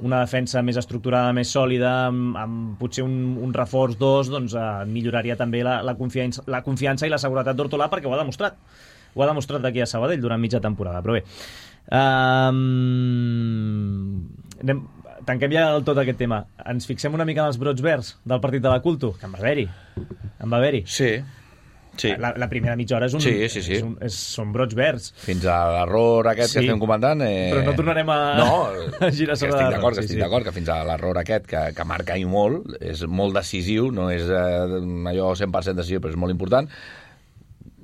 B: una defensa més estructurada, més sòlida, amb potser un reforç 2, doncs milloraria també la confiança i la seguretat d'Hortolà, perquè ho ha demostrat. Ho ha demostrat aquí a Sabadell durant mitja temporada. Però bé, tanquem ja del tot aquest tema. Ens fixem una mica en els brots verds del partit de la Culto, que en va haver-hi.
C: Sí.
B: La primera mitja hora són brots verds.
C: Fins a l'error aquest que estem comentant.
B: Però no tornarem a girar sobre
C: estic d'acord que fins a l'error aquest que marca i molt, és molt decisiu, no és allò 100% decisiu, però és molt important.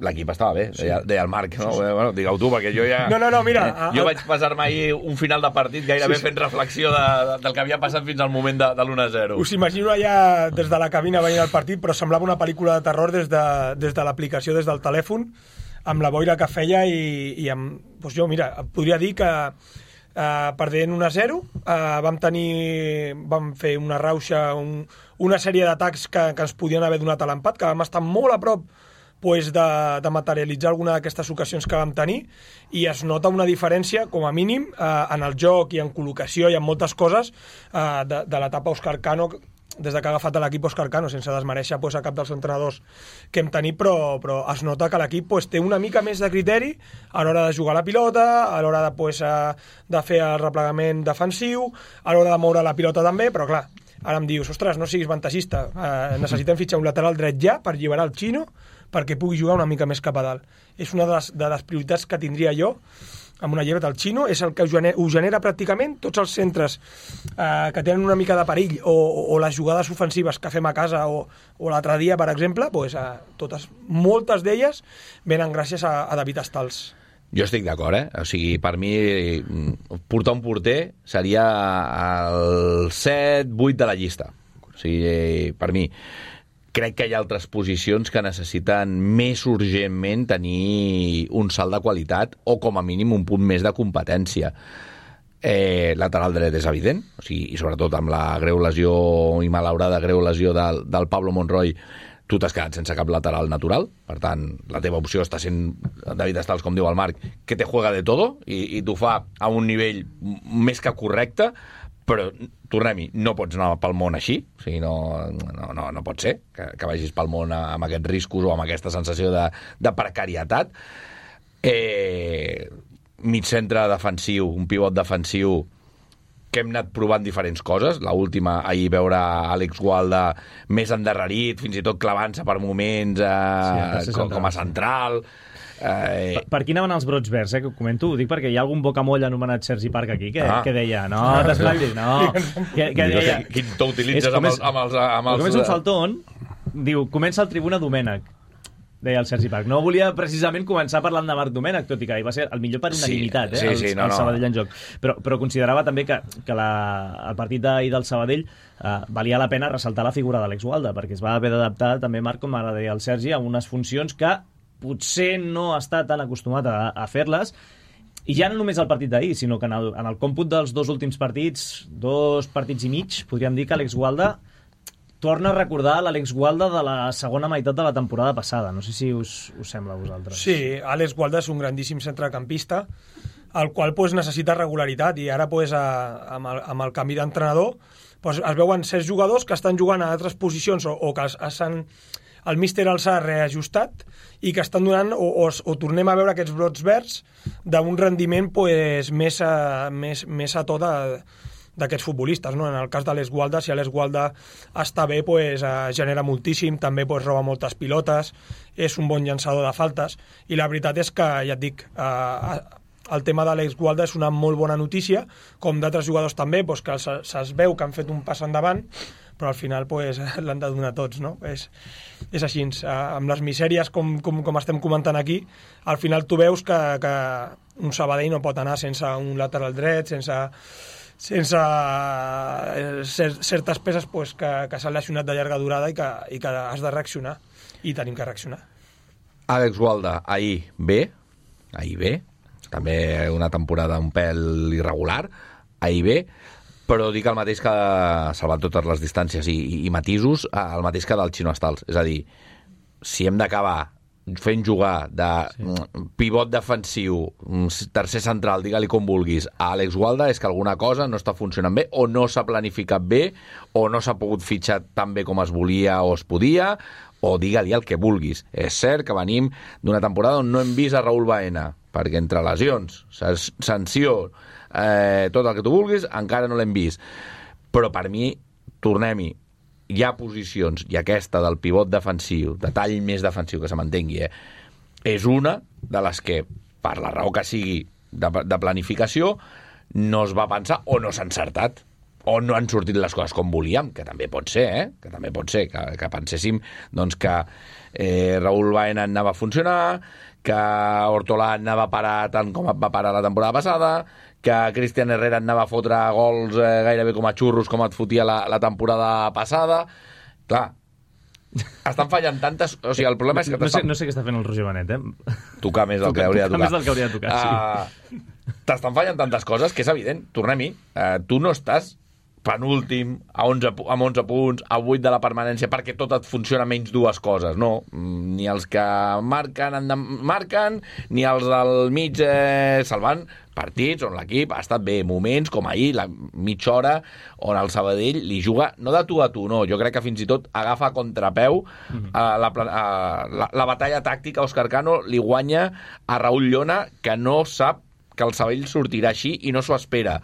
C: L'equip estava bé, deia el Marc, no? Bueno, digue-ho tu, perquè jo ja...
D: No, mira...
C: Jo vaig passar-me ahir un final de partit gairebé fent reflexió del que havia passat fins al moment de l'1-0.
D: Us imagino allà des de la cabina veient el partit, però semblava una pel·lícula de terror des de l'aplicació, des del telèfon, amb la boira que feia i amb... Doncs jo, mira, podria dir que perdent 1-0 vam fer una rauxa, una sèrie d'atacs que ens podien haver donat a l'empat, que vam estar molt a prop de materialitzar alguna d'aquestes ocasions que vam tenir, i es nota una diferència, com a mínim, en el joc i en col·locació i en moltes coses de l'etapa Òscar Cano, des de que ha agafat l'equip Òscar Cano, sense desmereixer a cap dels entrenadors que hem tenit, però es nota que l'equip té una mica més de criteri a l'hora de jugar la pilota, a l'hora de fer el replegament defensiu, a l'hora de moure la pilota també, però clar, ara em dius, ostres, no siguis ventajista, necessitem fitxar un lateral dret ja per alliberar el Xino perquè pugui jugar una mica més cap a dalt. És una de les prioritats que tindria jo amb una llibertat. El Xino és el que ho genera pràcticament tots els centres que tenen una mica de perill o les jugades ofensives que fem a casa o l'altre dia, per exemple, moltes d'elles venen gràcies a David Estals.
C: Jo estic d'acord, O sigui, per mi, portar un porter seria el 7-8 de la llista. O sigui, per mi, crec que hi ha altres posicions que necessiten més urgentment tenir un salt de qualitat o, com a mínim, un punt més de competència. Lateral dret és evident, o sigui, i sobretot amb la greu lesió i malaurada greu lesió del Pablo Monroy, tu t'has quedat sense cap lateral natural, per tant, la teva opció està sent David Estals, com diu el Marc, que te juega de todo i t'ho fa a un nivell més que correcte, però, tornem-hi, no pots anar pel món així, o sigui, no pot ser que vagis pel món amb aquests riscos o amb aquesta sensació de precarietat. Mig centre defensiu, un pivot defensiu, que hem anat provant diferents coses. L'última, ahir veure Àlex Gualda més endarrerit, fins i tot clavant-se per moments com a central.
B: Per qui anaven els brots verds, que ho comento? Ho dic perquè hi ha algun bocamoll anomenat Sergi Parc aquí que deia, no, t'espavilis, no. Que deia...
C: Quin to utilitzes amb els...
B: Com és un faltón, diu, comença el Tribuna Domènec, deia el Sergi Parc. No volia precisament començar parlant de Marc Domènec, tot i que va ser el millor per unanimitat, el Sabadell en joc. Però considerava també que el partit d'ahir del Sabadell valia la pena ressaltar la figura d'Àlex Gualda, perquè es va haver d'adaptar també, Marc, com ara deia el Sergi, a unes funcions que potser no està tan acostumat a fer-les, i ja no només el partit d'ahir, sinó que en el còmput dels dos últims partits, 2 partits i mig, podríem dir que Àlex Gualda torna a recordar l'Àlex Gualda de la segona meitat de la temporada passada. No sé si us sembla a vosaltres.
D: Sí, Àlex Gualda és un grandíssim centrecampista, el qual necessita regularitat, i ara amb el canvi d'entrenador es veuen 6 jugadors que estan jugant a altres posicions o que el míster els ha reajustat i que estan donant, o tornem a veure aquests brots verds d'un rendiment més a to d'aquests futbolistes, no? En el cas d'Àlex Gualda, si Àlex Gualda està bé, genera moltíssim, també roba moltes pilotes, és un bon llançador de faltes, i la veritat és que, ja et dic, el tema d'Àlex Gualda és una molt bona notícia, com d'altres jugadors també, que se'ls veu que han fet un pas endavant, però al final l'han de donar tots, no? És així, amb les misèries com estem comentant aquí, al final tu veus que un Sabadell no pot anar sense un lateral dret, sense certes peces que s'han lesionat de llarga durada i que has de reaccionar, i tenim que reaccionar.
C: Àlex Gualda, ahir bé, també una temporada un pèl irregular, ahir bé, però dic el mateix que, salvant totes les distàncies i matisos, el mateix que del Xino Estals. És a dir, si hem d'acabar fent jugar de pivot defensiu, tercer central, digue-li com vulguis, a Àlex Gualda, és que alguna cosa no està funcionant bé, o no s'ha planificat bé, o no s'ha pogut fitxar tan bé com es volia o es podia, o digue-li el que vulguis. És cert que venim d'una temporada on no hem vist a Raúl Baena, perquè entre lesions, sanció, tot el que tu vulguis, encara no l'hem vist. Però per mi, tornem-hi, hi ha posicions, i aquesta del pivot defensiu, de tall més defensiu, que se m'entengui, és una de les que, per la raó que sigui de planificació, no es va pensar o no s'ha encertat, o no han sortit les coses com volíem, que també pot ser, que també pot ser, que penséssim doncs, que Raúl Baena anava a funcionar, que Hortolà anava a parar tant com va parar la temporada passada, que Cristian Herrera anava a fotre gols gairebé com a xurros com et fotia la temporada passada. Clar, estan fallant tantes... O sigui, el problema és que...
B: No sé què està fent el Roger Benet,
C: Tocar més del que hauria de tocar.
B: Més del que hauria de tocar, sí.
C: T'estan fallant tantes coses que és evident. Tornem-hi. Tu no estàs penúltim, amb 11 punts, a 8 de la permanència, perquè tot et funciona menys 2 coses, no. Ni els que marquen, ni els del mig salvant partits on l'equip ha estat bé, moments com ahir, la mitja hora on el Sabadell li juga, no de tu a tu, no, jo crec que fins i tot agafa a contrapeu la batalla tàctica. Òscar Cano li guanya a Raúl Llona, que no sap que el Sabadell sortirà així i no s'ho espera.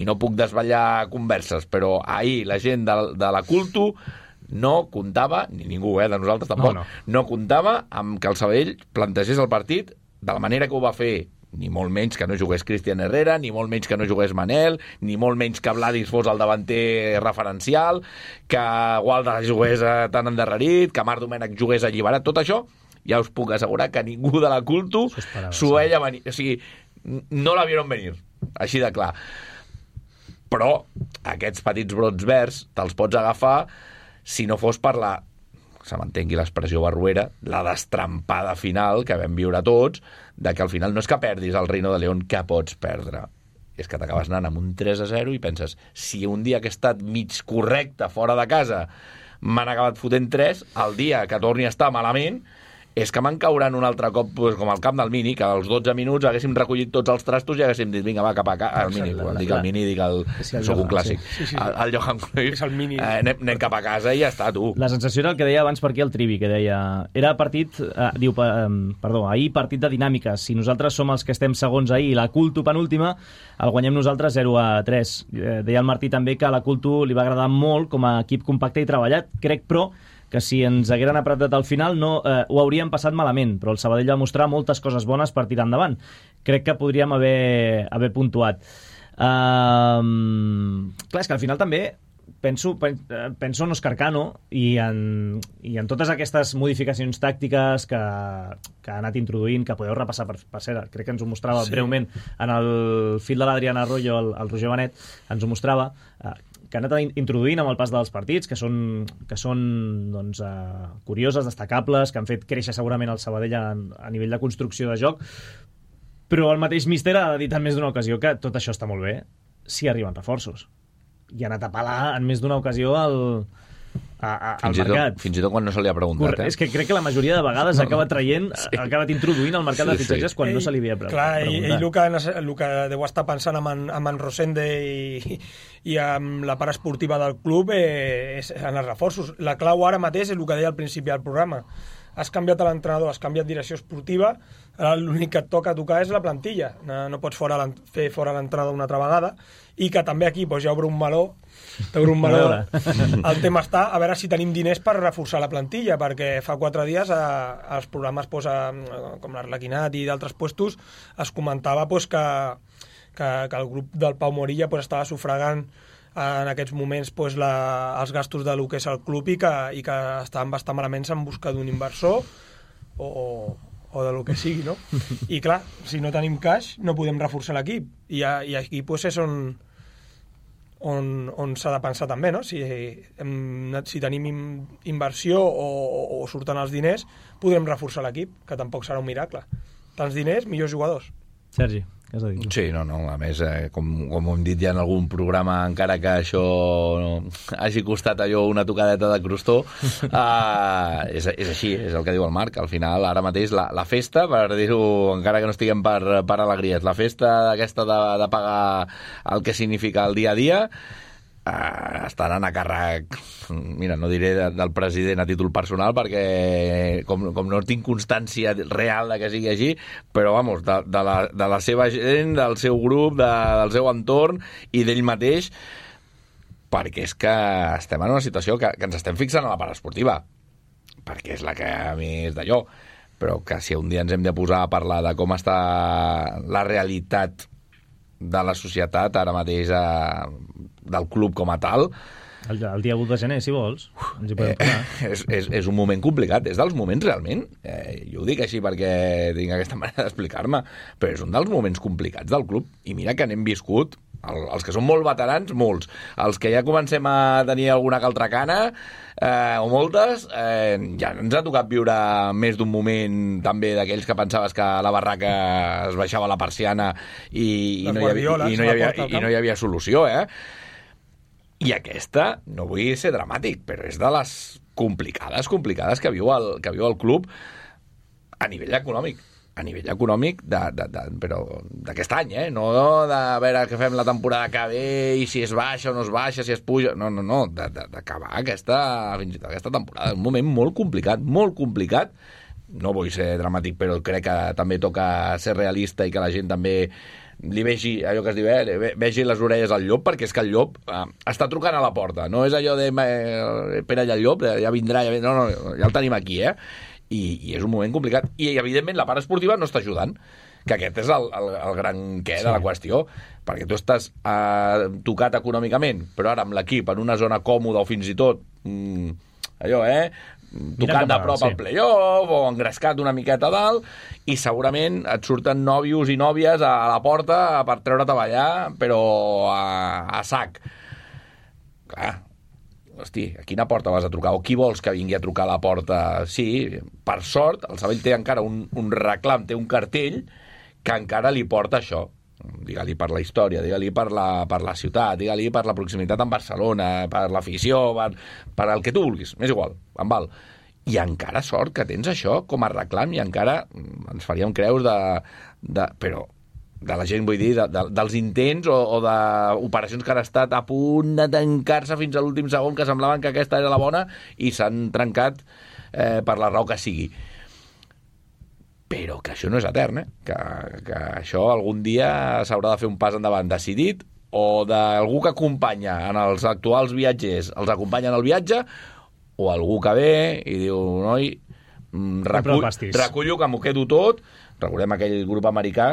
C: I no puc desvetllar converses, però ahir la gent de la Culto no comptava, ni ningú, de nosaltres tampoc, no comptava amb que el Sabadell plantegés el partit de la manera que ho va fer, ni molt menys que no jugués Cristian Herrera, ni molt menys que no jugués Manel, ni molt menys que Vladis fos el davanter referencial, que Gualda jugués tan endarrerit, que Marc Domènech jugués alliberat. Tot això ja us puc assegurar que ningú de la Culto s'ho veia venir. O sigui, no la vieron venir, així de clar. Però aquests petits brots verds te'ls pots agafar si no fos per se m'entengui l'expressió barruera, la destrampada final que vam viure tots, de que al final no és que perdis el Reino de León, que pots perdre. És que t'acabes anant amb un 3-0 i penses, si un dia que he estat mig correcte fora de casa m'han acabat fotent 3, el dia que torni a estar malament és que me'n cauran un altre cop com al camp del Mini, que als 12 minuts haguéssim recollit tots els trastos i haguéssim dit, vinga, va, cap a casa, al Mini, dic el Mini, dic el... Soc un clàssic. El Johan Cruyff, anem cap a casa i ja està, tu.
B: La sensació era el que deia abans per aquí el Trivi, que deia... Era partit, ahir partit de dinàmiques. Si nosaltres som els que estem segons ahir i la Culto penúltima, el guanyem nosaltres 0-3. Deia el Martí també que a la Culto li va agradar molt com a equip compacte i treballat. Crec, però, que si ens hagueren apretat al final ho hauríem passat malament, però el Sabadell va mostrar moltes coses bones per tirar endavant. Crec que podríem haver puntuat. Clar, és que al final també penso en Òscar Cano i en totes aquestes modificacions tàctiques que ha anat introduint, que podeu repassar per cert, crec que ens ho mostrava breument en el fil de l'Adrián Arroyo, el Roger Benet, ens ho mostrava, que han anat introduint amb el pas dels partits, que són doncs, curioses, destacables, que han fet créixer segurament el Sabadell a nivell de construcció de joc, però el mateix míster ha dit en més d'una ocasió que tot això està molt bé si arriben reforços. I ha anat a pelar en més d'una ocasió al mercat.
C: Fins i tot quan no se li ha preguntat.
B: És que crec que la majoria de vegades ha acabat introduint al mercat de fitxatges quan no se li havia preguntat.
D: Clar, ell el que deu estar pensant amb en Rosende i amb la part esportiva del club és en els reforços. La clau ara mateix és el que deia al principi del programa. Has canviat l'entrenador, has canviat direcció esportiva, l'únic que et toca tocar és la plantilla. No pots fer fora l'entrenador una altra vegada, i que també aquí doncs, ja obre un meló. El tema està a veure si tenim diners per reforçar la plantilla, perquè fa 4 dies als programes com l'Arlequinat i d'altres puestos es comentava que el grup del Pau Morilla estava sufragant en aquests moments els gastos de lo que és el club i que estaven bastant malament en busca d'un inversor o de lo que sigui, no? I clar, si no tenim cash no podem reforçar l'equip i aquí és on s'ha de pensar també, no? Si tenim inversió o surten els diners podrem reforçar l'equip, que tampoc serà un miracle. Tants diners, millors jugadors.
B: Sergi, què has de dir?
C: Sí, a més, com hem dit ja en algun programa, encara que això hagi costat allò una tocadeta de crostó, és així, és el que diu el Marc. Al final, ara mateix, la festa, per dir-ho, encara que no estiguem per alegries, la festa aquesta de pagar el que significa el dia a dia, està anant a càrrec, mira, no diré del president a títol personal perquè com no tinc constància real de que sigui així, però vamos, de la seva gent, del seu grup, del seu entorn i d'ell mateix, perquè és que estem en una situació que ens estem fixant a la part esportiva, perquè és la que a mi és d'allò, però que si un dia ens hem de posar a parlar de com està la realitat de la societat ara mateix del club com a tal,
B: el dia 1 de gener, si vols, ens hi podem posar.
C: És un moment complicat, és dels moments realment, jo ho dic així perquè tinc aquesta manera d'explicar-me, però és un dels moments complicats del club, i mira que n'hem viscut, els que són molt veterans, molts, els que ja comencem a tenir alguna que altra cana, o moltes, ja ens ha tocat viure més d'un moment també d'aquells que pensaves que a la barraca es baixava la persiana i no hi havia solució, I aquesta, no vull ser dramàtic, però és de les complicades que viu el club a nivell econòmic. A nivell econòmic però d'aquest any, no de veure què fem la temporada que ve i si es baixa o no es baixa, si es puja... No, d'acabar fins i tot aquesta temporada. Un moment molt complicat. No vull ser dramàtic, però crec que també toca ser realista i que la gent també li vegi allò que es diu, vegi les orelles al llop, perquè és que el llop està trucant a la porta. No és allò de espera allà el llop, ja vindrà, no, ja el tenim aquí, I és un moment complicat. I, evidentment, la part esportiva no està ajudant, que aquest és el gran què de la qüestió, perquè tu estàs tocat econòmicament, però ara amb l'equip en una zona còmoda o fins i tot tocant de prop al play-off o engrescat una miqueta a dalt, i segurament et surten nòvios i nòvies a la porta per treure't a ballar, però a sac. Clar, hosti, a quina porta vas a trucar? O qui vols que vingui a trucar a la porta? Sí, per sort, el Sabadell té encara un reclam, té un cartell que encara li porta això. Digue-li per la història, digue-li per la ciutat, digue-li per la proximitat amb Barcelona, per l'afició, per el que tu vulguis, m'és igual, em val. I encara sort que tens això com a reclam i encara ens faríem creus però de la gent, vull dir, dels intents o d'operacions que han estat a punt de tancar-se fins a l'últim segon, que semblaven que aquesta era la bona i s'han trencat per la raó que sigui. Però que això no és etern, que això algun dia s'haurà de fer un pas endavant decidit, o d'algú que acompanya en els actuals viatgers, els acompanya en el viatge, o algú que ve i diu, noi, recullo que m'ho quedo tot. Recordem aquell grup americà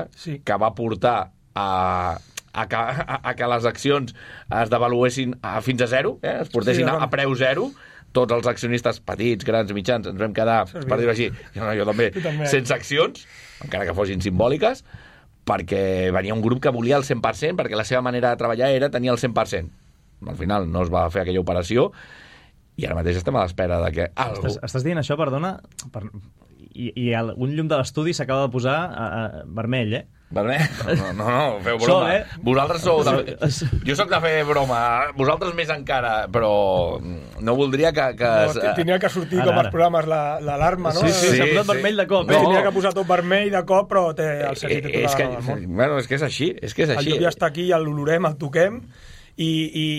C: que va portar a que les accions es devaluessin fins a zero, es portessin a preu zero. Tots els accionistes petits, grans, mitjans, ens vam quedar, per dir-ho així, jo també, sense accions, encara que fossin simbòliques, perquè venia un grup que volia el 100%, perquè la seva manera de treballar era tenir el 100%. Al final no es va fer aquella operació i ara mateix estem a l'espera de que algú...
B: Estàs dient això, perdona, i un llum de l'estudi s'acaba de posar vermell, eh?
C: Vermell? No, feu broma. Vosaltres sou... Jo sóc de fer broma, vosaltres més encara, però no voldria que...
D: Tenia que sortir com als programes l'alarma, no?
B: Sí, s'ha posat vermell de cop.
D: Tenia que posar tot vermell de cop, però el Sergi té tota la raó del món.
C: Bueno, és que és així.
D: El llum ja està aquí, l'olorem, el toquem, i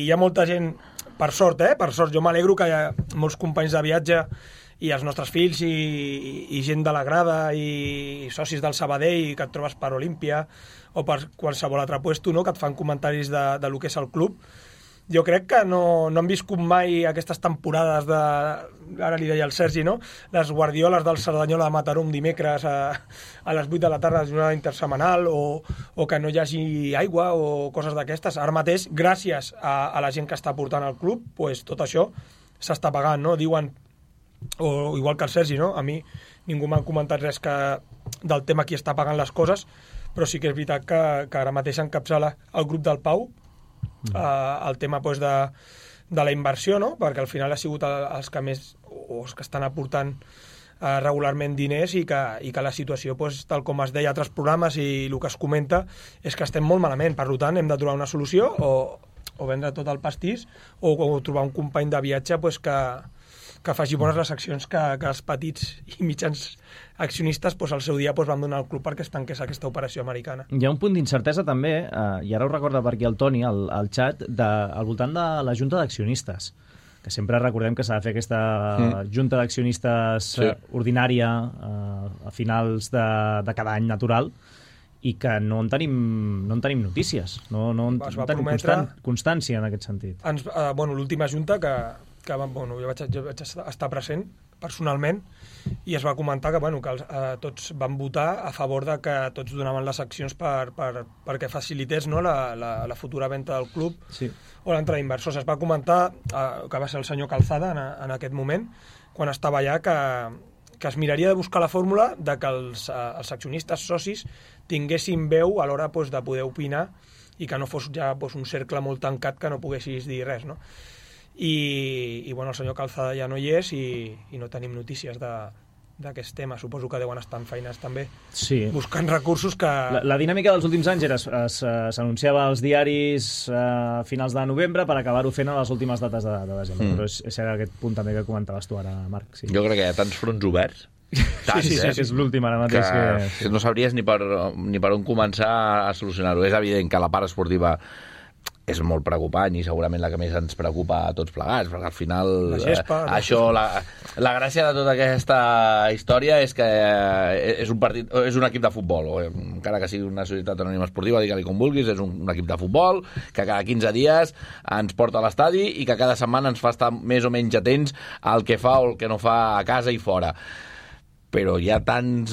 D: hi ha molta gent... Per sort, per sort. Jo m'alegro que hi ha molts companys de viatge i els nostres fills i gent de la grada i socis del Sabadell que et trobes per Olímpia o per qualsevol altre puesto, no? Que et fan comentaris de lo que és el club. Jo crec que no han viscut mai aquestes temporades de... Ara li deia al Sergi, no? Les guardioles del Cerdanyola de Mataró un dimecres a les 8 de la tarda de jornada intersemanal o que no hi hagi aigua o coses d'aquestes. Ara mateix, gràcies a la gent que està portant al club, pues, tot això s'està pagant, no? Diuen, o igual que el Sergi, no? A mi ningú m'ha comentat res del tema qui està pagant les coses, però sí que és veritat que ara mateix encapçala el grup del Pau el tema pues, de la inversió, no? Perquè al final ha sigut els que més o els que estan aportant regularment diners i que la situació, pues, tal com es deia a altres programes i el que es comenta, és que estem molt malament. Per tant, hem de trobar una solució o vendre tot el pastís o trobar un company de viatge pues, que faci bones les accions que els petits i mitjans accionistes pues, al seu dia pues, van donar al club perquè es tanqués aquesta operació americana.
B: Hi ha un punt d'incertesa també, i ara ho recorda per aquí el Toni, al xat, al voltant de la junta d'accionistes, que sempre recordem que s'ha de fer aquesta junta d'accionistes ordinària a finals de cada any natural i que no en tenim notícies, no en tenim constància en aquest sentit.
D: L'última junta que jo vaig estar present personalment i es va comentar que tots van votar a favor de que tots donaven les accions perquè facilités, no, la futura venda del club o l'entrada d'inversors. Es va comentar que va ser el senyor Calzada en aquest moment, quan estava allà, que es miraria de buscar la fórmula de que els accionistes socis tinguessin veu a l'hora de poder opinar i que no fos ja un cercle molt tancat que no poguessis dir res, no? I el senyor Calzada ja no hi és i no tenim notícies d'aquest tema. Suposo que deuen estar en feines també buscant recursos que...
B: La dinàmica dels últims anys era s'anunciava als diaris a finals de novembre per acabar-ho fent a les últimes dates de desembre. Però és aquest punt també que comentaves tu ara, Marc. Sí.
C: Jo crec que hi ha tants fronts oberts.
B: Sí, és l'últim ara mateix.
C: Que no sabries ni per on començar a solucionar-ho. És evident que la part esportiva és molt preocupant i segurament la que més ens preocupa a tots plegats, perquè al final la gràcia de tota aquesta història és que és un equip de futbol, o encara que sigui una societat anònima esportiva, digue-li com vulguis, és un equip de futbol que cada 15 dies ens porta a l'estadi i que cada setmana ens fa estar més o menys atents al que fa o el que no fa a casa i fora. Però hi ha tants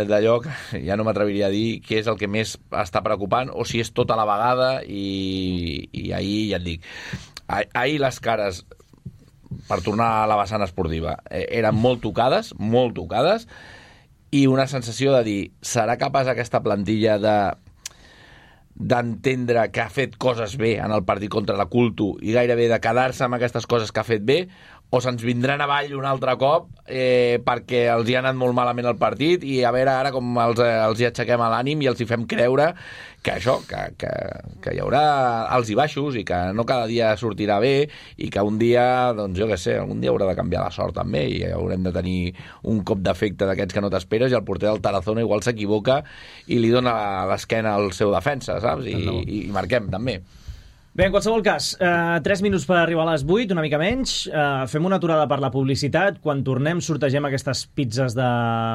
C: d'allò que ja no m'atreviria a dir què és el que més està preocupant o si és tota la vegada i ahir ja et dic, ahir les cares, per tornar a la vessant esportiva, eren molt tocades i una sensació de dir, serà capaç aquesta plantilla d'entendre que ha fet coses bé en el partit contra la Culto i gairebé de quedar-se amb aquestes coses que ha fet bé, o se'ns vindran avall un altre cop perquè els hi ha anat molt malament el partit i a veure ara com els hi aixequem a l'ànim i els hi fem creure que això, que hi haurà alts i baixos i que no cada dia sortirà bé i que un dia, doncs jo què sé, algun dia haurà de canviar la sort també i haurem de tenir un cop d'efecte d'aquests que no t'esperes i el porter del Tarazona igual s'equivoca i li dona l'esquena al seu defensa, saps? I marquem també.
B: Bé, en qualsevol cas, 3 minuts per arribar a les 8, una mica menys. Fem una aturada per la publicitat. Quan tornem sortegem aquestes pizzas de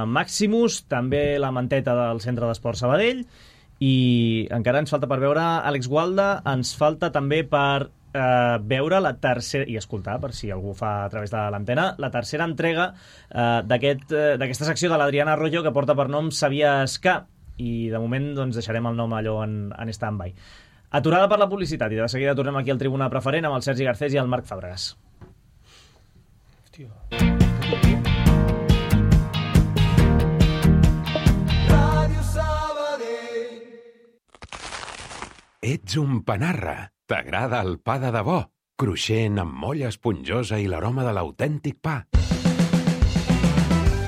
B: Maximus, també la manteta del Centre d'Esport Sabadell, i encara ens falta per veure Àlex Gualda, ens falta també per veure la tercera, i escoltar, per si algú fa a través de l'antena, la tercera entrega d'aquesta secció de l'Adriana Arroyo que porta per nom Sabies que, i de moment doncs, deixarem el nom allò en stand-by. Aturada per la publicitat i de seguida tornem aquí al Tribuna Preferent amb el Sergi Garcés i el Marc Fàbregas. Hòstia.
F: Ràdio Sabadell. Ets un panarra. T'agrada el pa de debò? Cruixent, amb molla esponjosa i l'aroma de l'autèntic pa.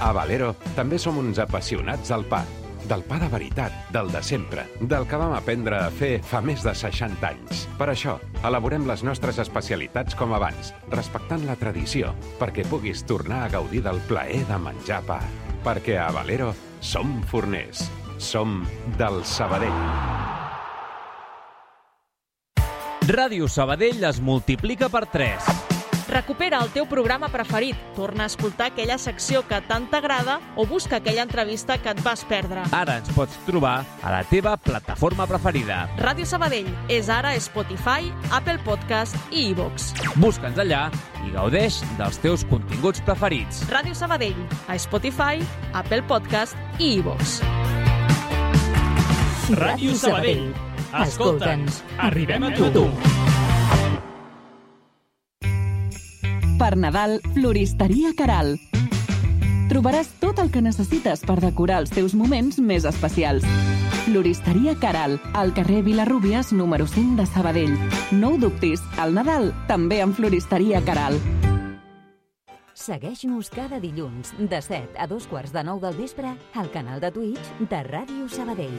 F: A Valero també som uns apassionats del pa. Del pa de veritat, del de sempre, del que vam aprendre a fer fa més de 60 anys. Per això, elaborem les nostres especialitats com abans, respectant la tradició, perquè puguis tornar a gaudir del plaer de menjar pa. Perquè a Valero som forners, som del Sabadell.
G: Ràdio Sabadell es multiplica per 3.
H: Recupera el teu programa preferit, torna a escoltar aquella secció que tant t'agrada o busca aquella entrevista que et vas perdre.
G: Ara ens pots trobar a la teva plataforma preferida.
H: Ràdio Sabadell és ara a Spotify, Apple Podcast i iVoox.
G: Busca'ns allà i gaudeix dels teus continguts preferits.
H: Ràdio Sabadell, a Spotify, Apple Podcast i iVoox.
B: Ràdio Sabadell. Escolta'ns, arribem a tu.
I: Per Nadal, Floristeria Caral. Trobaràs tot el que necessites per decorar els teus moments més especials. Floristeria Caral, al carrer Vilarrúbies, número 5 de Sabadell. No ho dubtis, al Nadal també amb Floristeria Caral.
A: Segueix-nos cada dilluns de 7 a 8:45 del vespre al canal de Twitch de Ràdio Sabadell.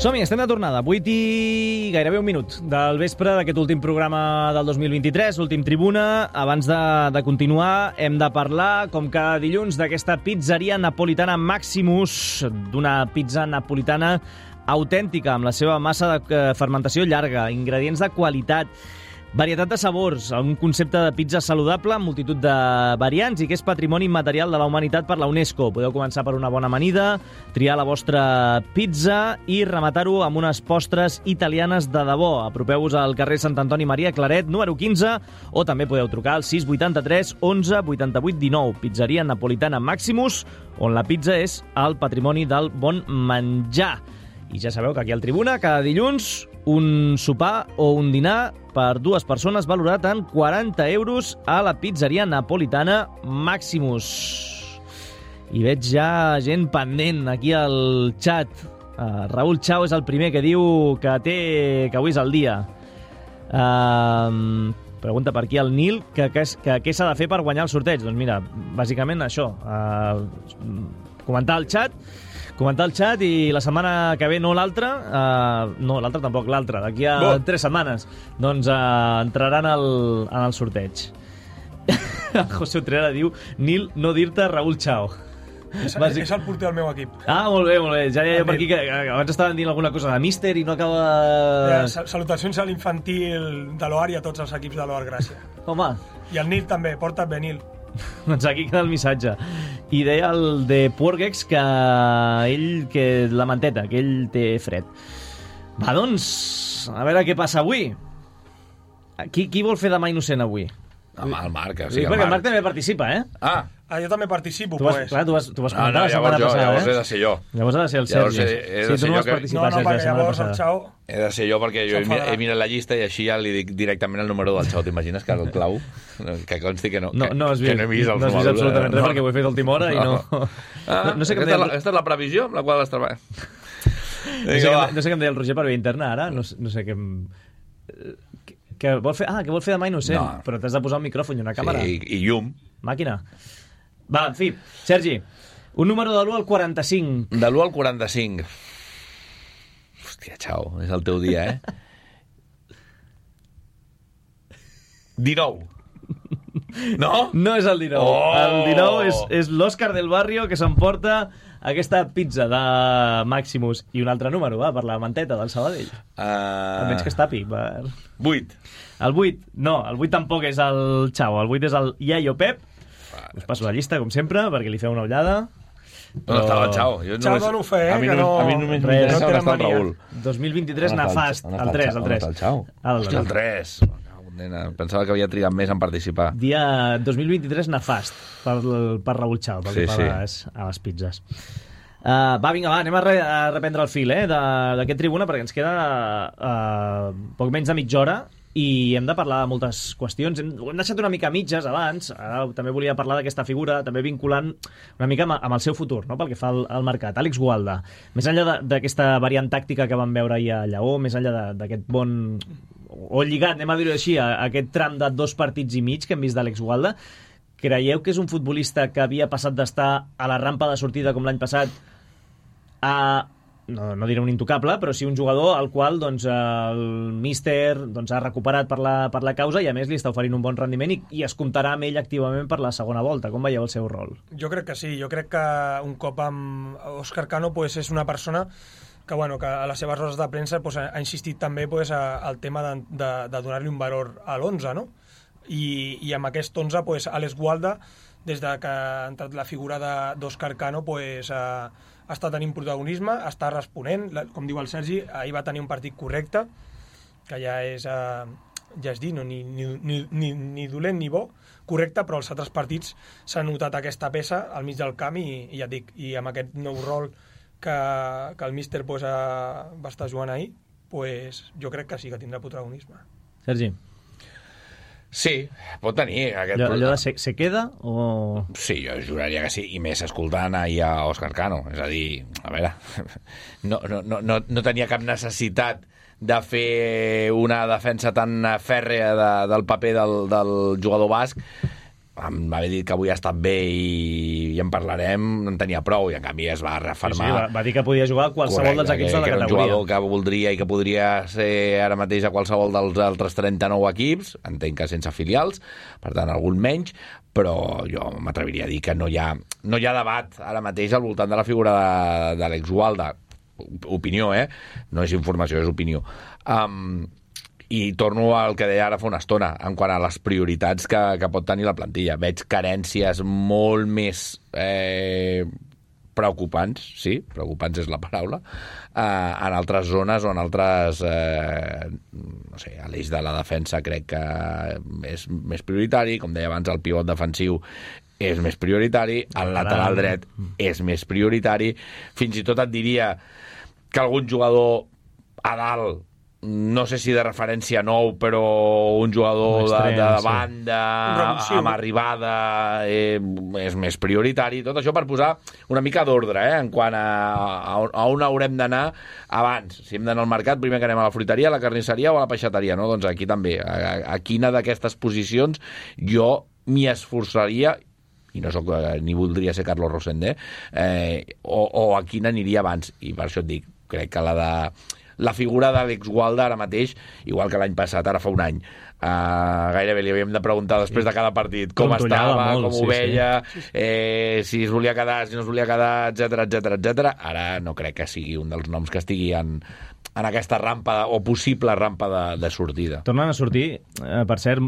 B: Som-hi, estem de tornada. 8 i gairebé un minut del vespre d'aquest últim programa del 2023, últim Tribuna. Abans de continuar, hem de parlar, com cada dilluns, d'aquesta pizzeria napolitana Maximus, d'una pizza napolitana autèntica, amb la seva massa de fermentació llarga, ingredients de qualitat, varietat de sabors, un concepte de pizza saludable amb multitud de variants i que és patrimoni immaterial de la humanitat per la UNESCO. Podeu començar per una bona amanida, triar la vostra pizza i rematar-ho amb unes postres italianes de debò. Apropeu-vos al carrer Sant Antoni Maria Claret, número 15, o també podeu trucar al 683 11 88 19. Pizzeria napolitana Maximus, on la pizza és el patrimoni del bon menjar. I ja sabeu que aquí al Tribuna, cada dilluns, un sopar o un dinar per 2 persones valorat en 40 euros a la pizzeria napolitana Maximus. I veig ja gent pendent aquí al xat. Raül Chao és el primer que diu que avui és el dia. Pregunta per aquí el Nil que què s'ha de fer per guanyar el sorteig. Doncs mira, bàsicament això, comentar el xat i la setmana que ve, no l'altra, no, l'altra tampoc, l'altra, d'aquí a 3 setmanes, doncs entraran en el sorteig. El José Utrera diu, Nil, no dir-te Raül Chao.
D: És el porter del meu equip.
B: Ah, molt bé, molt bé. Ja deia per aquí que abans estaven dint alguna cosa de míster i no acaba...
D: Salutacions a l'infantil de l'OAR i a tots els equips de l'OAR, gràcies.
B: Home.
D: I el Nil també, porta't bé, Nil.
B: Doncs aquí queda el missatge. I deia el de Porgex que la manteta, que ell té fred. Va, doncs, a veure què passa avui. Qui vol fer demà innocent avui?
C: El Marc,
B: sí, perquè el Marc també participa,
D: jo també participo,
B: pues. Clar, tu vas comentar la setmana passada,
C: llavors he de ser jo.
B: Llavors ha de ser el Sergi.
C: Sí, tu
D: no vas participar, Sergi, la setmana passada.
C: He de ser jo perquè jo he mirat la llista i així ja li dic directament el número del Xau. T'imagines que el clau? Que consti que no
B: has vist absolutament res perquè ho he fet a última hora i no...
C: No sé què em deia... Aquesta és la previsió amb la qual has treballat.
B: No sé què em deia el Roger per via interna ara, no sé què em... Que vol fer demà innocent, però t'has de posar un micròfon i una càmera.
C: Sí, i llum.
B: Màquina. Va, en fi, Sergi, un número de l'1 al 45.
C: De l'1 al 45. Hòstia, Xau, és el teu dia, 19. No?
B: No és el 19. El 19 és l'Òscar del Barrio, que s'emporta aquesta pizza de Maximus i un altre número, per la manteta del Sabadell. Almenys que es tapi.
C: 8.
B: El 8, no, el 8 tampoc és el Xau, el 8 és el Iaio Pep. Us passo la llista, com sempre, perquè li feu una ullada.
C: On estava el Xau?
D: Xau dono fe,
C: a mi només m'interessa on està el Raül.
B: 2023 nefast, el 3.
C: On està el Xau? Hòstia, el 3. Pensava que havia trigat més en participar.
B: Dia 2023 nefast per Raül Xau, pel que fa a les pizzas. Vinga, anem a reprendre el fil d'aquest tribuna, perquè ens queda poc menys de mitja hora i hem de parlar de moltes qüestions. Ho hem deixat una mica mitges abans, ara també volia parlar d'aquesta figura, també vinculant una mica amb el seu futur, no? Pel que fa al mercat. Àlex Gualda, més enllà d'aquesta variant tàctica que vam veure ahir a Lleó, més enllà d'aquest bon... o lligat, anem a dir-ho així, a aquest tram de 2 partits i mig que hem vist d'Àlex Gualda, creieu que és un futbolista que havia passat d'estar a la rampa de sortida com l'any passat a... no diré un intocable, però sí un jugador al qual el míster ha recuperat per la causa i a més li està oferint un bon rendiment i es comptarà amb ell activament per la segona volta. Com veieu el seu rol?
D: Jo crec que sí, jo crec que un cop amb Òscar Cano és una persona que a les seves rodes de premsa ha insistit també al tema de donar-li un valor a l'11, no? I amb aquest 11 Àlex Gualda, des que ha entrat la figura d'Òscar Cano, està tenint protagonisme, està responent, com diu el Sergi, ahir va tenir un partit correcte, que ja és dir, no, ni dolent ni bo, correcte, però els altres partits s'ha notat aquesta peça al mig del camp i ja et dic, i amb aquest nou rol que el míster va estar jugant ahir, jo crec que sí que tindrà protagonisme.
B: Sergi?
C: Sí, pot tenir aquest...
B: Allò de se queda o...?
C: Sí, jo juraria que sí, i més escoltant ahir a Òscar Cano. És a dir, a veure, no tenia cap necessitat de fer una defensa tan fèrrea del paper del jugador basc. M'havia dit que avui ha estat bé i en parlarem, en tenia prou, i en canvi es va refermar.
B: Sí, va dir que podia jugar a qualsevol dels equips de la categoria.
C: Que era un jugador que voldria i que podria ser ara mateix a qualsevol dels altres 39 equips, entenc que sense filials, per tant algun menys, però jo m'atreviria a dir que no hi ha debat ara mateix al voltant de la figura d'Àlex Gualda. Opinió, no és informació, és opinió. I torno al que deia ara fa una estona, en quant a les prioritats que pot tenir la plantilla. Veig carències molt més preocupants, sí, preocupants és la paraula, en altres zones o en altres... no sé, a l'eix de la defensa crec que és més prioritari, com deia abans, el pivot defensiu és més prioritari, el lateral dret és més prioritari, fins i tot et diria que algun jugador a dalt, no sé si de referència nou, però un jugador de banda amb arribada és més prioritari. Tot això per posar una mica d'ordre, en quant a on haurem d'anar abans. Si hem d'anar al mercat, primer que anem a la fruiteria, a la carnisseria o a la peixateria, no? Doncs aquí també. A quina d'aquestes posicions jo m'hi esforçaria, i no soc, ni voldria ser Carlos Rosende, o a quina aniria abans. I per això et dic, crec que la figura d'Àlex Gualda ara mateix, igual que l'any passat, ara fa un any, gairebé li havíem de preguntar després de cada partit com estava, com ho veia, si es volia quedar, si no es volia quedar, etc. Ara no crec que sigui un dels noms que estigui en aquesta rampa o possible rampa de sortida.
B: Tornen a sortir, per cert,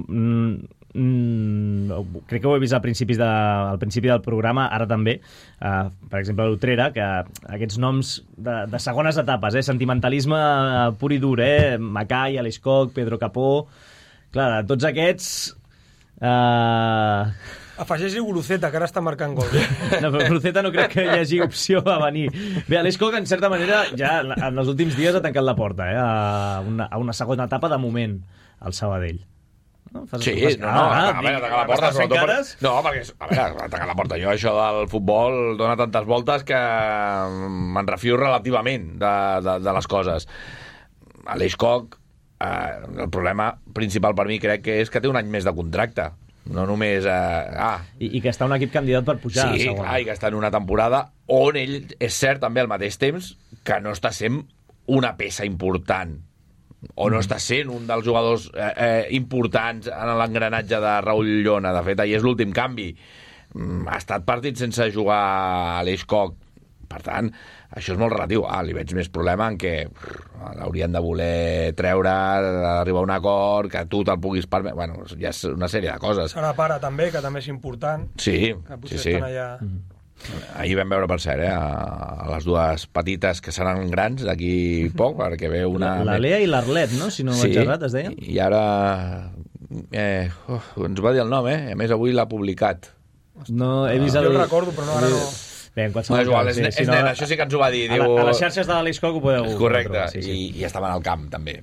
B: crec que ho he vist al principi del programa, ara també, per exemple l'Utrera, que aquests noms de segones etapes, sentimentalisme pur i dur, Macai, Aleix Koch, Pedro Capó, Clar, tots aquests...
D: Afegeix-hi Guruceta, que ara està marcant gol.
B: No, però Guruceta no crec que hi hagi opció a venir. Bé, Aleix Koch, en certa manera, ja en els últims dies ha tancat la porta, a una segona etapa de moment, al Sabadell.
C: No? A veure, tancar la porta, sobretot... No, perquè, a veure, tancar la porta. Jo això del futbol dona tantes voltes que me'n refio relativament de les coses. Aleix Koch, el problema principal per mi crec que és que té un any més de contracte. No només...
B: I que està un equip candidat per pujar.
C: Sí, clar, i que està en una temporada on ell, és cert, també al mateix temps, que no està sent una peça important, o no està sent un dels jugadors importants en l'engranatge de Raúl Llona. De fet, ahir és l'últim canvi. Ha estat partit sense jugar Aleix Koch. Per tant, això és molt relatiu. Li veig més problema en què l'haurien de voler treure, arribar a un acord, que tu te'l puguis permetre... Bueno, ja és una sèrie de coses.
D: Serà pare també, que també és important.
C: Sí,
D: que potser estan allà...
C: Ahir vam veure, per cert, a les dues petites que seran grans d'aquí poc, perquè ve una...
B: La Lea i l'Arlet, no? Si no vaig errat, es deia?
C: I ara... ens va dir el nom, A més, avui l'ha publicat.
B: No, he vist
D: Jo el recordo, però no, ara no...
B: Bé, en qualsevol
C: cas, és nen, això sí que ens ho va dir.
B: A les xarxes de l'Aleix Koch ho podeu...
C: Correcte, i estaven al camp, també.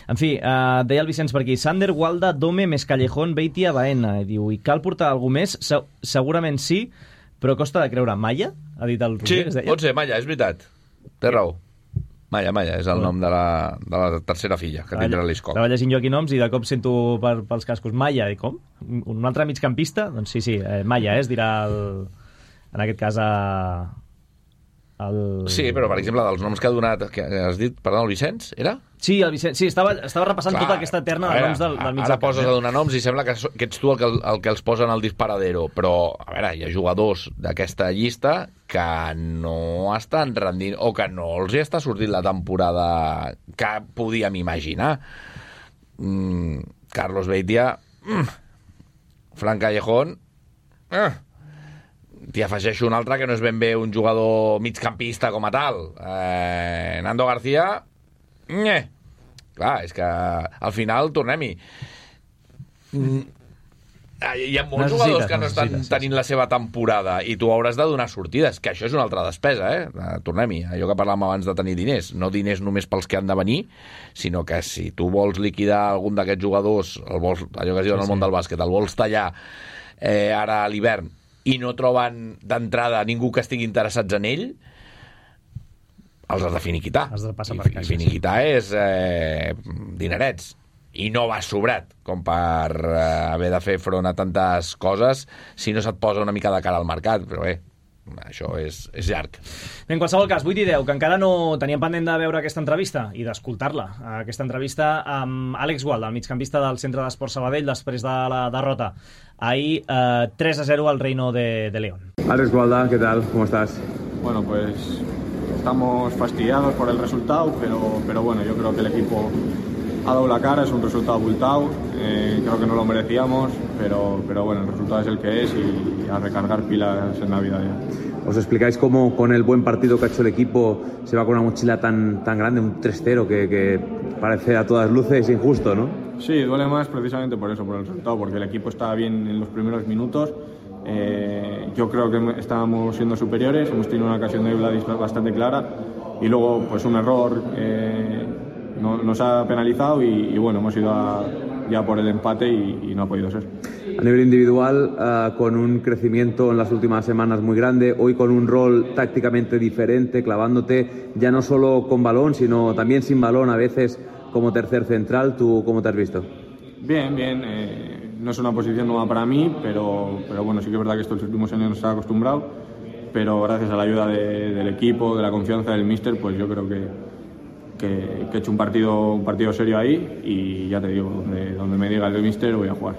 B: En fi, deia el Vicenç per aquí, Sander, Gualda, Dome, més Callejón, Beitia, Baena. Diu, i cal portar algú més? Segurament sí, però costa de creure. Malla? Ha dit el Roger,
C: sí, pot ser, Malla, és veritat. Té raó. Malla és el nom de la tercera filla que tindrà l'Aleix Koch.
B: Estava llegint jo aquí noms i de cop sento pels cascos Malla. I com? Un altre migcampista? Doncs sí, Malla, es dirà en aquest cas
C: Sí, però per exemple dels noms que ha donat, que has dit, perdó, el Vicenç, era?
B: Sí, el Vicenç, sí, estava repassant tota aquesta terna de noms del mig del camp.
C: Ara poses a donar noms i sembla que ets tu el que els posa en el disparadero, però, a veure, hi ha jugadors d'aquesta llista que no estan rendint, o que no els hi està sortint la temporada que podíem imaginar. Carlos Beitia, Fran Callejón, t'hi afegeixo un altre que no és ben bé un jugador migcampista com a tal. Nando García, clar, és que al final tornem-hi. Hi ha molts jugadors que no estan tenint la seva temporada i tu hauràs de donar sortides, que això és una altra despesa, tornem-hi, allò que parlàvem abans de tenir diners, no diners només pels que han de venir, sinó que si tu vols liquidar algun d'aquests jugadors, allò que es diu en el món del bàsquet, el vols tallar ara a l'hivern i no troben d'entrada ningú que estigui interessats en ell, els has de finiquitar.
B: Has de passar per caixa.
C: Finiquitar és dinerets. I no vas sobrat com per haver de fer front a tantes coses si no se't posa una mica de cara al mercat. Però bé, això és llarg.
B: Bé, en qualsevol cas, 8 i 10, que encara no teníem pendent de veure aquesta entrevista i d'escoltar-la. Aquesta entrevista amb Àlex Gualda, el migcampista del Centre d'Esport Sabadell, després de la derrota ahí 3-0 al Reino de León.
J: Alex Gualda, ¿qué tal? ¿Cómo estás?
K: Bueno, pues estamos fastidiados por el resultado, pero bueno, yo creo que el equipo ha dado la cara, es un resultado abultado, creo que no lo merecíamos, pero bueno, el resultado es el que es y a recargar pilas en Navidad ya.
J: ¿Os explicáis cómo con el buen partido que ha hecho el equipo se va con una mochila tan grande, un 3-0 que parece a todas luces injusto, ¿no?
K: Sí, duele más precisamente por eso, por el resultado, porque el equipo estaba bien en los primeros minutos. Yo creo que estábamos siendo superiores, hemos tenido una ocasión de Vladis bastante clara y luego pues un error nos ha penalizado y bueno, hemos ido ya por el empate y no ha podido ser.
J: A nivel individual, con un crecimiento en las últimas semanas muy grande, hoy con un rol tácticamente diferente, clavándote ya no solo con balón, sino también sin balón a veces como tercer central. ¿Tú cómo te has visto?
K: Bien, no es una posición nueva para mí, pero bueno, sí que es verdad que estos últimos años no estaba acostumbrado, pero gracias a la ayuda del equipo, de la confianza del míster, pues yo creo que he hecho un partido serio ahí y ya te digo, donde me diga el míster voy a jugar.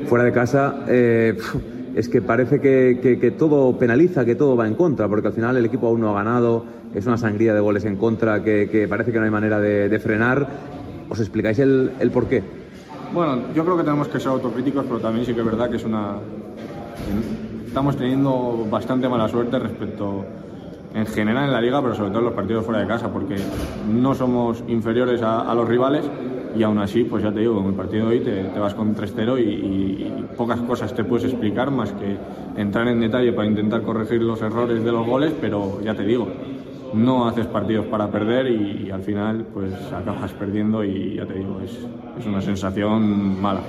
J: Fuera de casa, es que parece que todo penaliza, que todo va en contra, porque al final el equipo aún no ha ganado, es una sangría de goles en contra que parece que no hay manera de frenar. ¿Os explicáis el por qué?
K: Bueno, yo creo que tenemos que ser autocríticos, pero también sí que es verdad que estamos teniendo bastante mala suerte respecto en general en la liga, pero sobre todo en los partidos fuera de casa, porque no somos inferiores a los rivales, y aún así, pues ya te digo, en el partido de hoy te vas con 3-0 y pocas cosas te puedes explicar más que entrar en detalle para intentar corregir los errores de los goles, pero ya te digo, no haces partidos para perder y al final pues acabas perdiendo y ya te digo, es una sensación mala.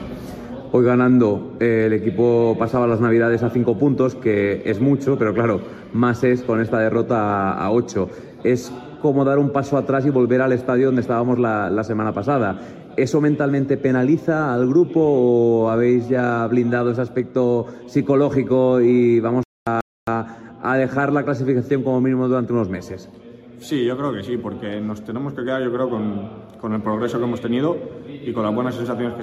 J: Hoy ganando, el equipo pasaba las Navidades a 5 puntos, que es mucho, pero claro, más es con esta derrota a 8. Es como dar un paso atrás y volver al estadio donde estábamos la semana pasada. ¿Eso mentalmente penaliza al grupo o habéis ya blindado ese aspecto psicológico y vamos a dejar la clasificación como mínimo durante unos meses?
K: Sí, yo creo que sí, porque nos tenemos que quedar, yo creo, con el progreso que hemos tenido y con las buenas sensaciones que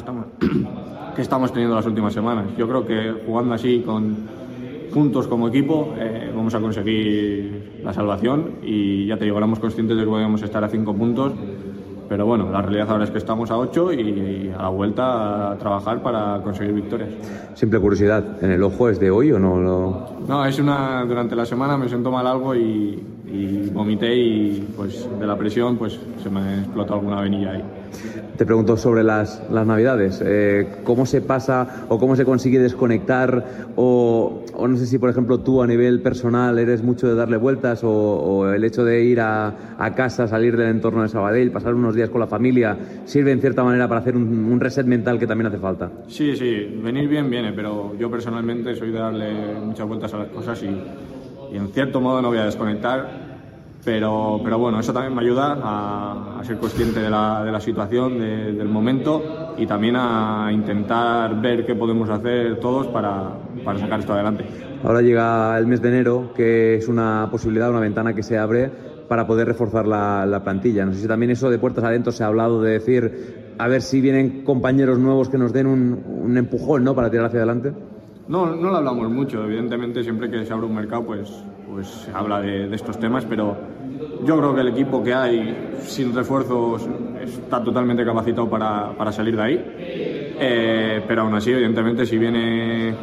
K: estamos teniendo las últimas semanas. Yo creo que jugando así, juntos como equipo, vamos a conseguir la salvación y ya te digo, éramos conscientes de que podíamos estar a 5 puntos, pero bueno, la realidad ahora es que estamos a 8 y a la vuelta a trabajar para conseguir victorias. Simple curiosidad, ¿en el ojo es de hoy o no? No, durante la semana me sentó mal algo y vomité y pues de la presión pues se me explotó alguna venilla ahí. Te pregunto sobre las Navidades, ¿cómo se pasa o cómo se consigue desconectar o no sé si por ejemplo tú a nivel personal eres mucho de darle vueltas o el hecho de ir a casa, salir del entorno de Sabadell, pasar unos días con la familia, sirve en cierta manera para hacer un reset mental que también hace falta? Sí, venir bien viene, pero yo personalmente soy de darle muchas vueltas a las cosas y en cierto modo no voy a desconectar. Pero bueno, eso también me ayuda a ser consciente de la situación, del momento y también a intentar ver qué podemos hacer todos para sacar esto adelante. Ahora llega el mes de enero, que es una posibilidad, una ventana que se abre para poder reforzar la plantilla. No sé si también eso de puertas adentro se ha hablado de decir, a ver si vienen compañeros nuevos que nos den un empujón, ¿no?, para tirar hacia adelante. No lo hablamos mucho, evidentemente siempre que se abre un mercado pues se habla de estos temas, pero yo creo que el equipo que hay sin refuerzos está totalmente capacitado para salir de ahí, pero aún así evidentemente si viene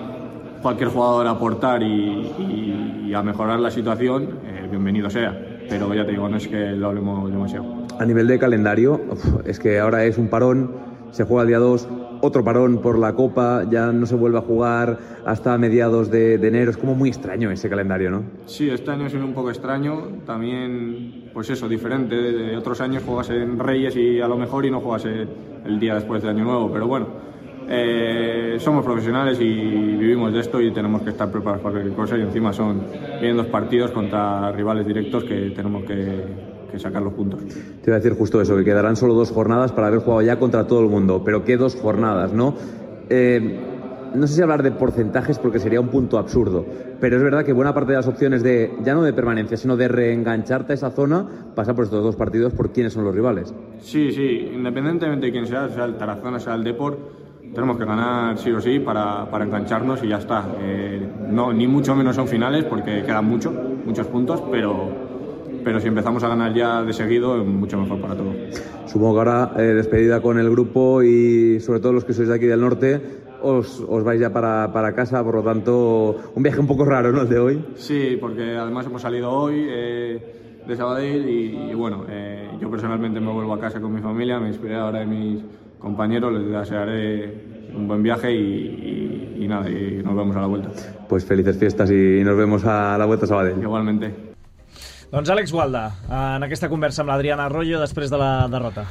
K: cualquier jugador a aportar y a mejorar la situación, bienvenido sea, pero ya te digo, no es que lo hablemos demasiado. A nivel de calendario, es que ahora es un parón, se juega el día 2, otro parón por la Copa, ya no se vuelve a jugar hasta mediados de enero. Es como muy extraño ese calendario, ¿no? Sí, este año ha sido un poco extraño, también, pues eso, diferente. De otros años juegas en Reyes y a lo mejor y no juegas el día después de Año Nuevo, pero bueno, somos profesionales y vivimos de esto y tenemos que estar preparados para cualquier cosa y encima vienen 2 partidos contra rivales directos que tenemos que sacar los puntos. Te iba a decir justo eso, que quedarán solo 2 jornadas para haber jugado ya contra todo el mundo, pero ¿qué 2 jornadas, no? No sé si hablar de porcentajes porque sería un punto absurdo, pero es verdad que buena parte de las opciones ya no de permanencia, sino de reengancharte a esa zona, pasa por estos 2 partidos por quiénes son los rivales. Sí, independientemente de quién sea el Tarazona, sea el Depor, tenemos que ganar sí o sí para engancharnos y ya está. No, ni mucho menos son finales porque quedan muchos puntos, pero si empezamos a ganar ya de seguido, es mucho mejor para todos. Supongo que ahora, despedida con el grupo y sobre todo los que sois de aquí del norte, os vais ya para casa, por lo tanto, un viaje un poco raro, ¿no?, el de hoy. Sí, porque además hemos salido hoy de Sabadell y bueno, yo personalmente me vuelvo a casa con mi familia, me inspiré ahora de mis compañeros, les desearé un buen viaje y nada, y nos vemos a la vuelta. Pues felices fiestas y nos vemos a la vuelta a Sabadell. Igualmente.
B: Doncs Àlex Gualda, en aquesta conversa amb l'Adriana Arroyo després de la derrota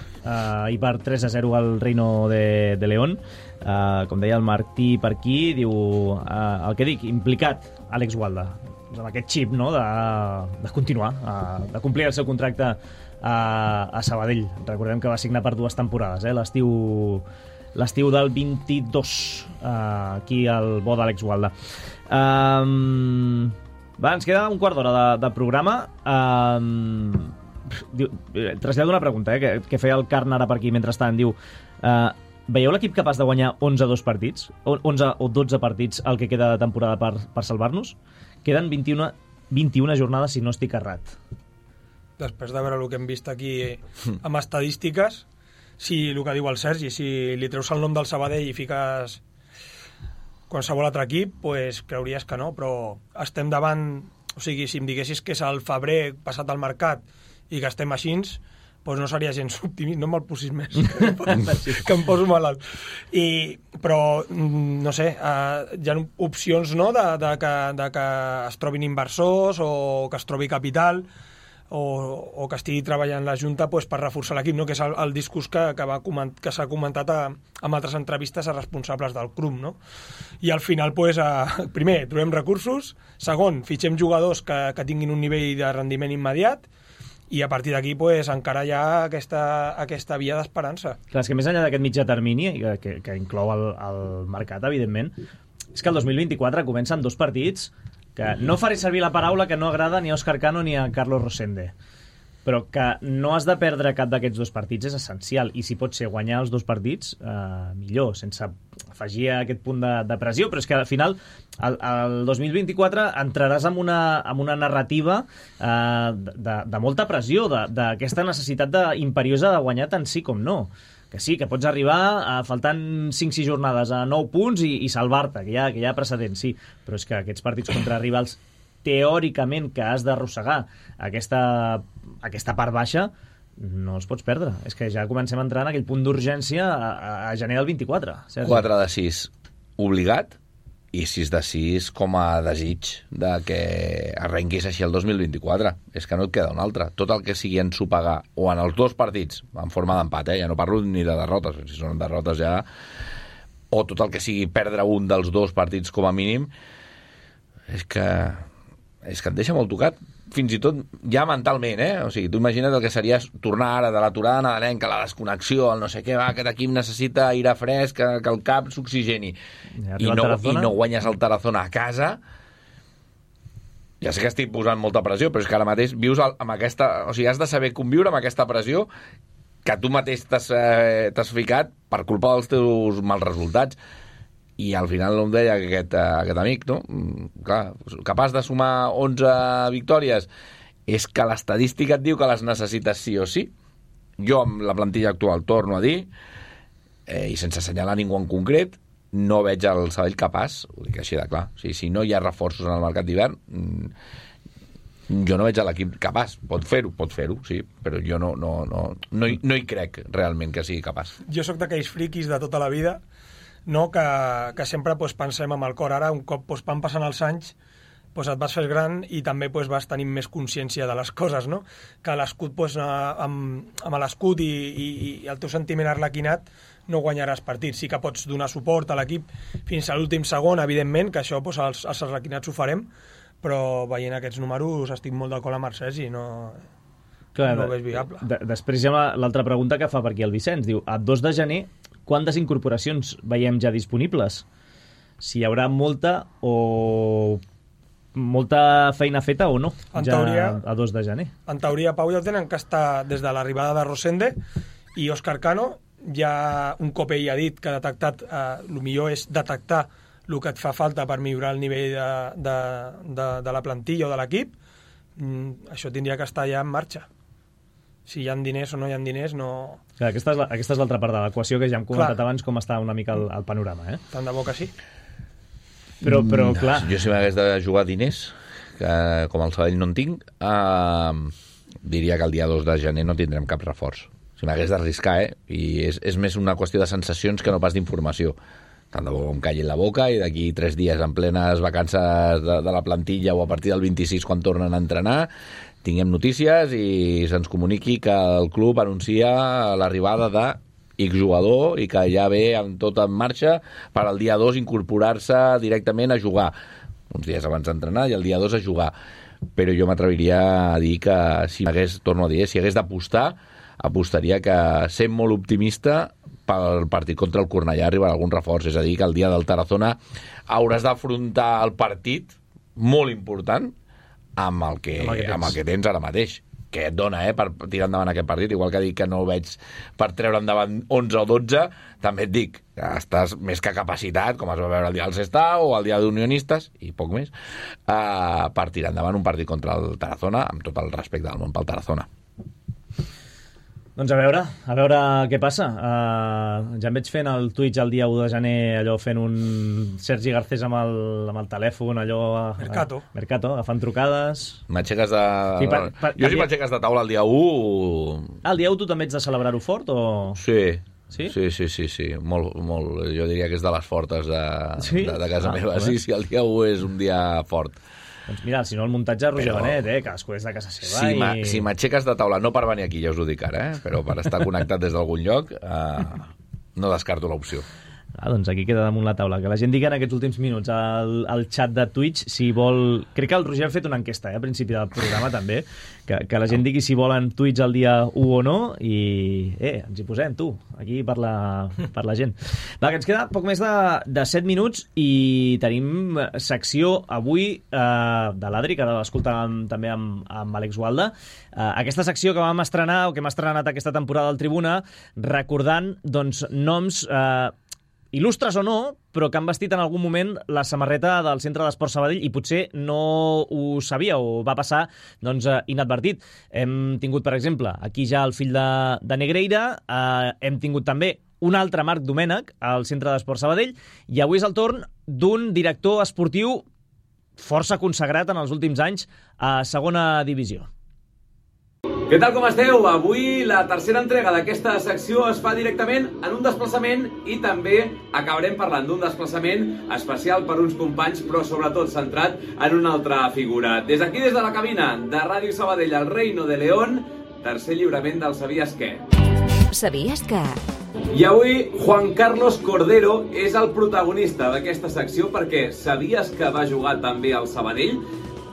B: i per 3-0 al Reino de León. Com deia el Martí per aquí, diu el que dic, implicat Àlex Gualda amb aquest xip, no?, de continuar, de complir el seu contracte a Sabadell. Recordem que va signar per 2 temporades, l'estiu del 22, aquí al bo d'Àlex Gualda. Va, ens queda un quart d'hora de programa. Trasllado una pregunta que feia el Carn ara per aquí mentrestant. Diu, veieu l'equip capaç de guanyar 11 partits? 11 o 12 partits el que queda de temporada per salvar-nos? Queden 21 jornades, si no estic errat.
D: Després de veure el que hem vist aquí amb estadístiques, si el que diu el Sergi, si li treus el nom del Sabadell i fiques qualsevol altre equip, pues creuries que no, però estem davant, o sigui, si em diguessis que és el febrer passat al mercat i que estem així, doncs no seria gens optimista, no me'l posis més, que em poso malalt. Però, no sé, hi ha opcions, no?, de que es trobin inversors o que es trobi capital o que estigui treballant la Junta pues, per reforçar l'equip, no?, que és el discurs que s'ha comentat en altres entrevistes a responsables del club, no? I al final, pues, primer, trobem recursos, segon, fitxem jugadors que tinguin un nivell de rendiment immediat, i a partir d'aquí pues, encara hi ha aquesta via d'esperança.
B: Clar, és que més enllà d'aquest mitjà termini, que inclou el mercat, evidentment, és que el 2024 comença amb 2 partits que no faré servir la paraula que no agrada ni a Óscar Cano ni a Carlos Rosende, però que no has de perdre cap d'aquests 2 partits és essencial, i si pot ser guanyar els 2 partits, millor, sense afegir aquest punt de pressió, però és que al final el 2024 entraràs en una narrativa de molta pressió, d'aquesta necessitat imperiosa de guanyar tant sí com no. Que sí, que pots arribar faltant 5-6 jornades a 9 punts i salvar-te, que hi ha precedents, sí, però és que aquests partits contra rivals teòricament que has d'arrossegar aquesta part baixa no els pots perdre. És que ja comencem a entrar en aquell punt d'urgència a gener del 24. Sergi.
C: 4 de 6 obligat i 6 de 6 com a desig de que arrenquis així el 2024. És que no et queda un altre. Tot el que sigui ensopegar o en els 2 partits, en forma d'empat, ja no parlo ni de derrotes, si són derrotes ja, o tot el que sigui perdre un dels 2 partits com a mínim, és que et deixa molt tocat, fins i tot ja mentalment, O sigui, tu imagina't el que seria tornar ara de l'aturada nadalenca, la desconnexió, el no sé què, aquest equip necessita aire fresc, que el cap s'oxigeni, i no guanyes el Tarazona a casa. Ja sé que estic posant molta pressió, però és que ara mateix vius amb aquesta... O sigui, has de saber conviure amb aquesta pressió que tu mateix t'has ficat per culpa dels teus mals resultats. I al final em deia aquest amic, no? Clar, capaç de sumar 11 victòries, és que l'estadística et diu que les necessites sí o sí. Jo, amb la plantilla actual, torno a dir, i sense assenyalar ningú en concret, no veig el Sabadell capaç, ho dic així de clar. O sigui, si no hi ha reforços en el mercat d'hivern, jo no veig l'equip capaç. Pot fer-ho, sí, però jo no hi crec realment que sigui capaç.
D: Jo sóc d'aquells friquis de tota la vida, no, que sempre pues, pensem amb el cor. Ara, un cop pues, van passant els anys, pues, et vas fer gran i també pues, vas tenir més consciència de les coses, no? Que l'escut, pues, amb l'escut i el teu sentiment arlequinat no guanyaràs partits. Sí que pots donar suport a l'equip fins a l'últim segon, evidentment, que això pues, els arlequinats ho farem, però veient aquests números estic molt d'acord amb Marcès i no ho veig viable.
B: Després hi ha l'altra pregunta que fa per aquí el Vicenç. Diu, a 2 de gener, quantes incorporacions veiem ja disponibles? Si hi haurà molta feina feta o no, teoria, a 2 de gener.
D: En teoria, Pau, ja tenen que estar des de l'arribada de Rosende i Óscar Cano. Ja un cop ell ha dit que ha detectat, el millor és detectar el que et fa falta per millorar el nivell de la plantilla o de l'equip. Això tindria que estar ja en marxa. Si hi ha diners o no hi ha diners, no...
B: Clar, aquesta és l'altra part de l'equació que ja hem comentat abans com està una mica el panorama,
D: Tant de bo que sí.
B: Però clar...
C: Jo si m'hagués de jugar diners, que com el Sabadell no en tinc, diria que el dia 2 de gener no tindrem cap reforç. Si m'hagués d'arriscar, I és més una qüestió de sensacions que no pas d'informació. Tant de bo em calli la boca i d'aquí 3 dies en plenes vacances de la plantilla o a partir del 26 quan tornen a entrenar tinguem notícies i se'ns comuniqui que el club anuncia l'arribada de X jugador i que ja ve amb tot en marxa per al dia 2 incorporar-se directament a jugar. Uns dies abans d'entrenar i el dia 2 a jugar. Però jo m'atreviria a dir que si hagués d'apostar, apostaria que sent molt optimista pel partit contra el Cornellà arribarà algun reforç. És a dir, que el dia del Tarazona hauràs d'afrontar el partit molt important amb el que tens ara mateix, que et dona per tirar endavant aquest partit, igual que dic que no ho veig per treure endavant 11 o 12, també et dic que estàs més que capacitat, com es va veure el dia del Sestao o el dia d'Unionistes, i poc més, per tirar endavant un partit contra el Tarazona, amb tot el respecte del món pel Tarazona.
B: Doncs a veure què passa. Ja em veig fent el Twitch el dia 1 de gener, allò fent un Sergi Garcés amb el telèfon, allò... Mercato, agafant trucades...
C: M'aixeques de... Sí, jo si m'aixeques de taula el dia 1...
B: El dia 1 tu també ets de celebrar-ho fort o...?
C: Sí. Sí? Sí. Molt. Jo diria que és de les fortes de casa meva. Sí, el dia 1 és un dia fort.
B: Doncs mira, si no el muntatge Roger Benet, cadascú és de casa seva.
C: Si m'aixeques de taula, no per venir aquí, ja us ho dic ara, però per estar connectat des d'algun lloc, no descarto l'opció.
B: Doncs aquí queda damunt la taula. Que la gent digui en aquests últims minuts al xat de Twitch si vol... Crec que el Roger ha fet una enquesta a principi del programa també, que la gent digui si volen Twitch el dia 1 o no i ens hi posem, tu, aquí per la gent. Va, que ens queda poc més de 7 minuts i tenim secció avui de l'Adri, que l'escoltàvem també amb Àlex Gualda. Aquesta secció que vam estrenar, o que hem estrenat aquesta temporada al Tribuna, recordant doncs, noms... il·lustres o no, però que han vestit en algun moment la samarreta del Centre d'Esport Sabadell i potser no ho sabia o va passar doncs, inadvertit. Hem tingut, per exemple, aquí ja el fill de Negreira, hem tingut també un altre Marc Domènech al Centre d'Esport Sabadell i avui és el torn d'un director esportiu força consagrat en els últims anys a segona divisió.
L: Què tal, com esteu? Avui la tercera entrega d'aquesta secció es fa directament en un desplaçament i també acabarem parlant d'un desplaçament especial per uns companys, però sobretot centrat en una altra figura. Des d'aquí, des de la cabina de Ràdio Sabadell, el Reino de León, tercer lliurament del Sabies Què.
A: Sabies que...
L: I avui Juan Carlos Cordero és el protagonista d'aquesta secció perquè sabies que va jugar també al Sabadell?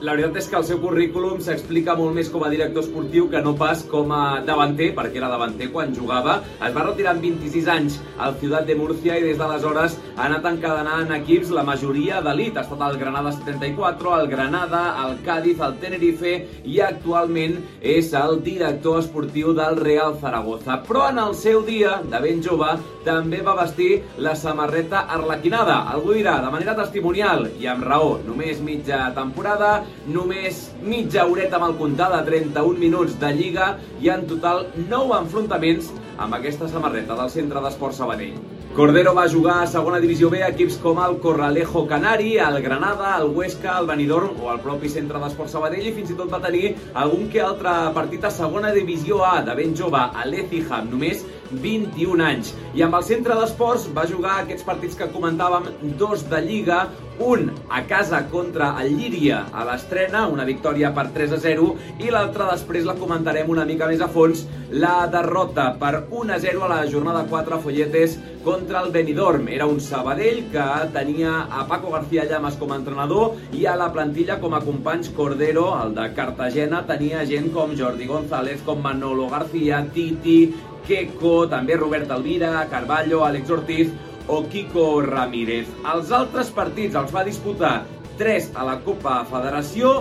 L: La veritat és que el seu currículum s'explica molt més com a director esportiu que no pas com a davanter, perquè era davanter quan jugava. Es va retirar amb 26 anys al Ciutat de Murcia i des d'aleshores ha anat encadenant equips, la majoria d'elit. Ha estat al Granada 74, al Granada, al Cádiz, al Tenerife i actualment és el director esportiu del Real Zaragoza. Però en el seu dia, de ben jove, també va vestir la samarreta arlequinada. Algú dirà, de manera testimonial, i amb raó, només mitja temporada, només mitja horeta mal comptada, 31 minuts de Lliga i en total 9 enfrontaments amb aquesta samarreta del Centre d'Esport Sabadell. Cordero va jugar a segona divisió B a equips com el Corralejo Canari, el Granada, el Huesca, el Benidorm o el propi Centre d'Esport Sabadell i fins i tot va tenir algun que altre partit a segona divisió A de ben jove a l'Etihad, només 21 anys. I amb el Centre d'Esports va jugar aquests partits que comentàvem, 2 de Lliga, un a casa contra el Llíria a l'estrena, una victòria per 3-0, i l'altra després la comentarem una mica més a fons, la derrota per 1-0 a la jornada 4 a Folletes contra el Benidorm. Era un Sabadell que tenia a Paco García Llamas com a entrenador i a la plantilla com a companys Cordero, el de Cartagena, tenia gent com Jordi González, com Manolo García, Titi, Queco, també Robert Alvira, Carballo, Àlex Ortiz o Kiko Ramírez. Els altres partits els va disputar 3 a la Copa Federació,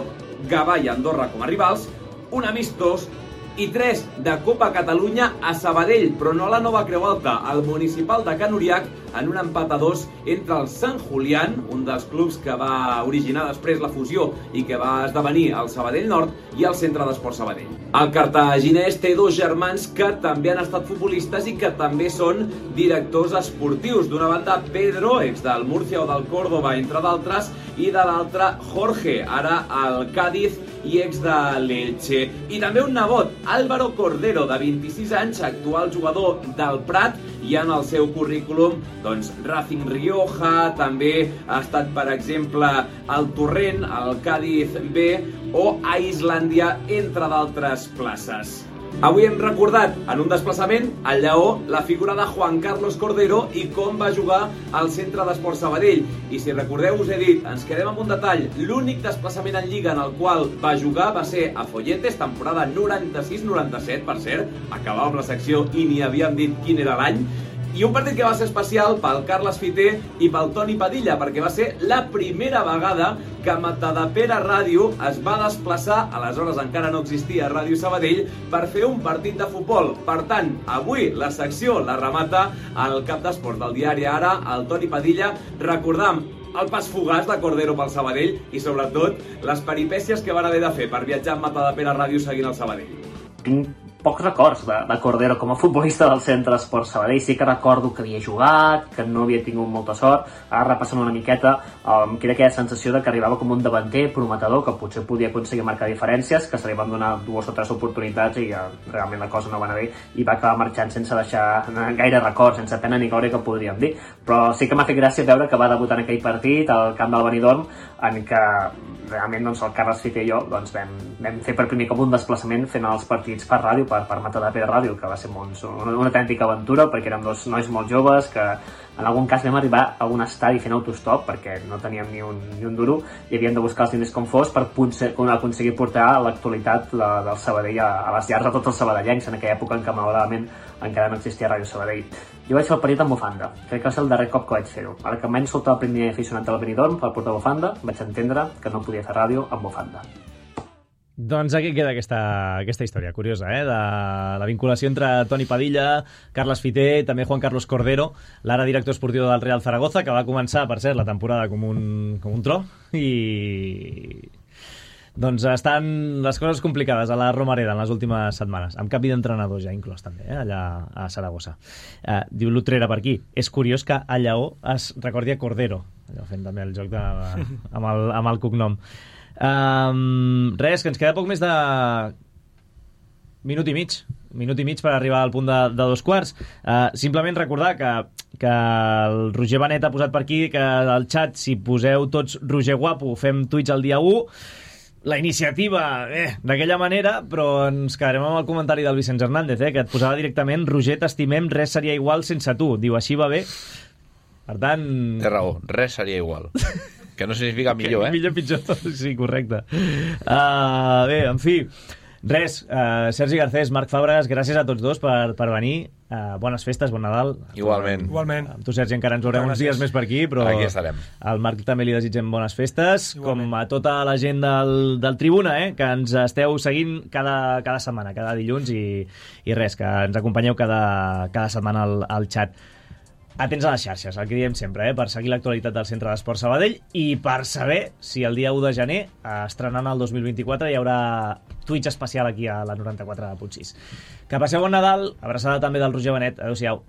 L: Gavà i Andorra com a rivals, un amistós i 3 de Copa Catalunya a Sabadell, però no a la Nova Creu Alta, al Municipal de Can Uriac, en un empat a 2 entre el Sant Julián, un dels clubs que va originar després la fusió i que va esdevenir el Sabadell Nord, i el Centre d'Esport Sabadell. El cartaginès té 2 germans que també han estat futbolistes i que també són directors esportius. D'una banda, Pedro, ex del Murcia o del Córdoba, entre d'altres, i de l'altre, Jorge, ara al Cádiz i ex de l'Elche. I també un nebot, Álvaro Cordero, de 26 anys, actual jugador del Prat, i en el seu currículum doncs Racing Rioja, també ha estat, per exemple, al Torrent, al Cádiz B o a Islàndia, entre d'altres places. Avui hem recordat en un desplaçament al Lleó la figura de Juan Carlos Cordero i com va jugar al Centre d'Esport Sabadell. I si recordeu, us he dit, ens quedem amb un detall, l'únic desplaçament en Lliga en el qual va jugar va ser a Folletes, temporada 96-97, per cert, acabàvem la secció i ni havíem dit quin era l'any, i un partit que va ser especial pel Carles Fiter i pel Toni Padilla, perquè va ser la primera vegada que Matadepera Ràdio es va desplaçar, aleshores encara no existia Ràdio Sabadell, per fer un partit de futbol. Per tant, avui la secció la remata el cap d'esports del diari Ara, el Toni Padilla, recordant el pas fugaç de Cordero pel Sabadell i sobretot les peripècies que van haver de fer per viatjar amb Matadepera Ràdio seguint el Sabadell.
M: pocs records de Cordero com a futbolista del Centre Esport Sabadell. Sí que recordo que havia jugat, que no havia tingut molta sort. Ara repassant una miqueta, que era aquella sensació de que arribava com un davanter prometedor, que potser podia aconseguir marcar diferències, que se li van donar 2 o 3 oportunitats i realment la cosa no va anar bé i va acabar marxant sense deixar gaire records, sense pena ni glòria, que podríem dir. Però sí que m'ha fet gràcia veure que va debutar en aquell partit al camp del Benidorm, en què realment doncs, el Carles Fiter i jo doncs, vam fer per primer cop un desplaçament fent els partits per ràdio, per Matadepera Ràdio, que va ser una autèntica aventura, perquè érem 2 nois molt joves que en algun cas vam arribar a un estadi fent autostop perquè no teníem ni un duro i havíem de buscar els diners com fos per aconseguir portar l'actualitat del Sabadell a les llars de tots els sabadellencs en aquella època en què malauradament encara no existia Ràdio Sabadell. Jo vaig fer el partit amb bufanda, crec que va ser el darrer cop que vaig fer-ho. Ara que em vaig soltar el primer aficionat del Benidorm per portar bufanda, vaig entendre que no podia fer ràdio amb bufanda.
B: Doncs aquí queda aquesta història curiosa, de la vinculació entre Toni Padilla, Carles Fiter, també Juan Carlos Cordero, l'ara director esportiu del Real Zaragoza, que va començar, per cert, la temporada com un tro, i doncs estan les coses complicades a la Romareda en les últimes setmanes, amb canvi d'entrenador ja inclòs també, allà a Saragossa. Diu l'Utrera per aquí, és curiós que a Lleó es recordi a Cordero, allò fent també el joc amb el cognom. Res, que ens queda poc més de minut i mig per arribar al punt de 2:15. Simplement recordar que el Roger Benet ha posat per aquí que al xat, si poseu tots Roger Guapo, fem tuits el dia 1. La iniciativa, d'aquella manera, però ens quedarem amb el comentari del Vicenç Hernández, que et posava directament Roger, t'estimem, res seria igual sense tu. Diu, així va bé. Per tant...
C: Té raó, res seria igual. Que no significa millor,
B: Millor, pitjor, sí, correcte. Bé, en fi, res, Sergi Garcés, Marc Fàbregas, gràcies a tots dos per venir. Bones festes, bon Nadal.
C: Igualment.
B: Amb tu, Sergi, encara ens veurem uns dies més per aquí, però
C: aquí estarem.
B: Al Marc també li desitgem bones festes, igualment. Com a tota la gent del Tribuna, que ens esteu seguint cada setmana, cada dilluns, i res, que ens acompanyeu cada setmana al xat. Atents a les xarxes, el que diem sempre, per seguir l'actualitat del Centre d'Esport Sabadell i per saber si el dia 1 de gener, estrenant el 2024, hi haurà Twitch especial aquí a la 94.6. Que passeu bon Nadal, abraçada també del Roger Benet. Adéu-siau.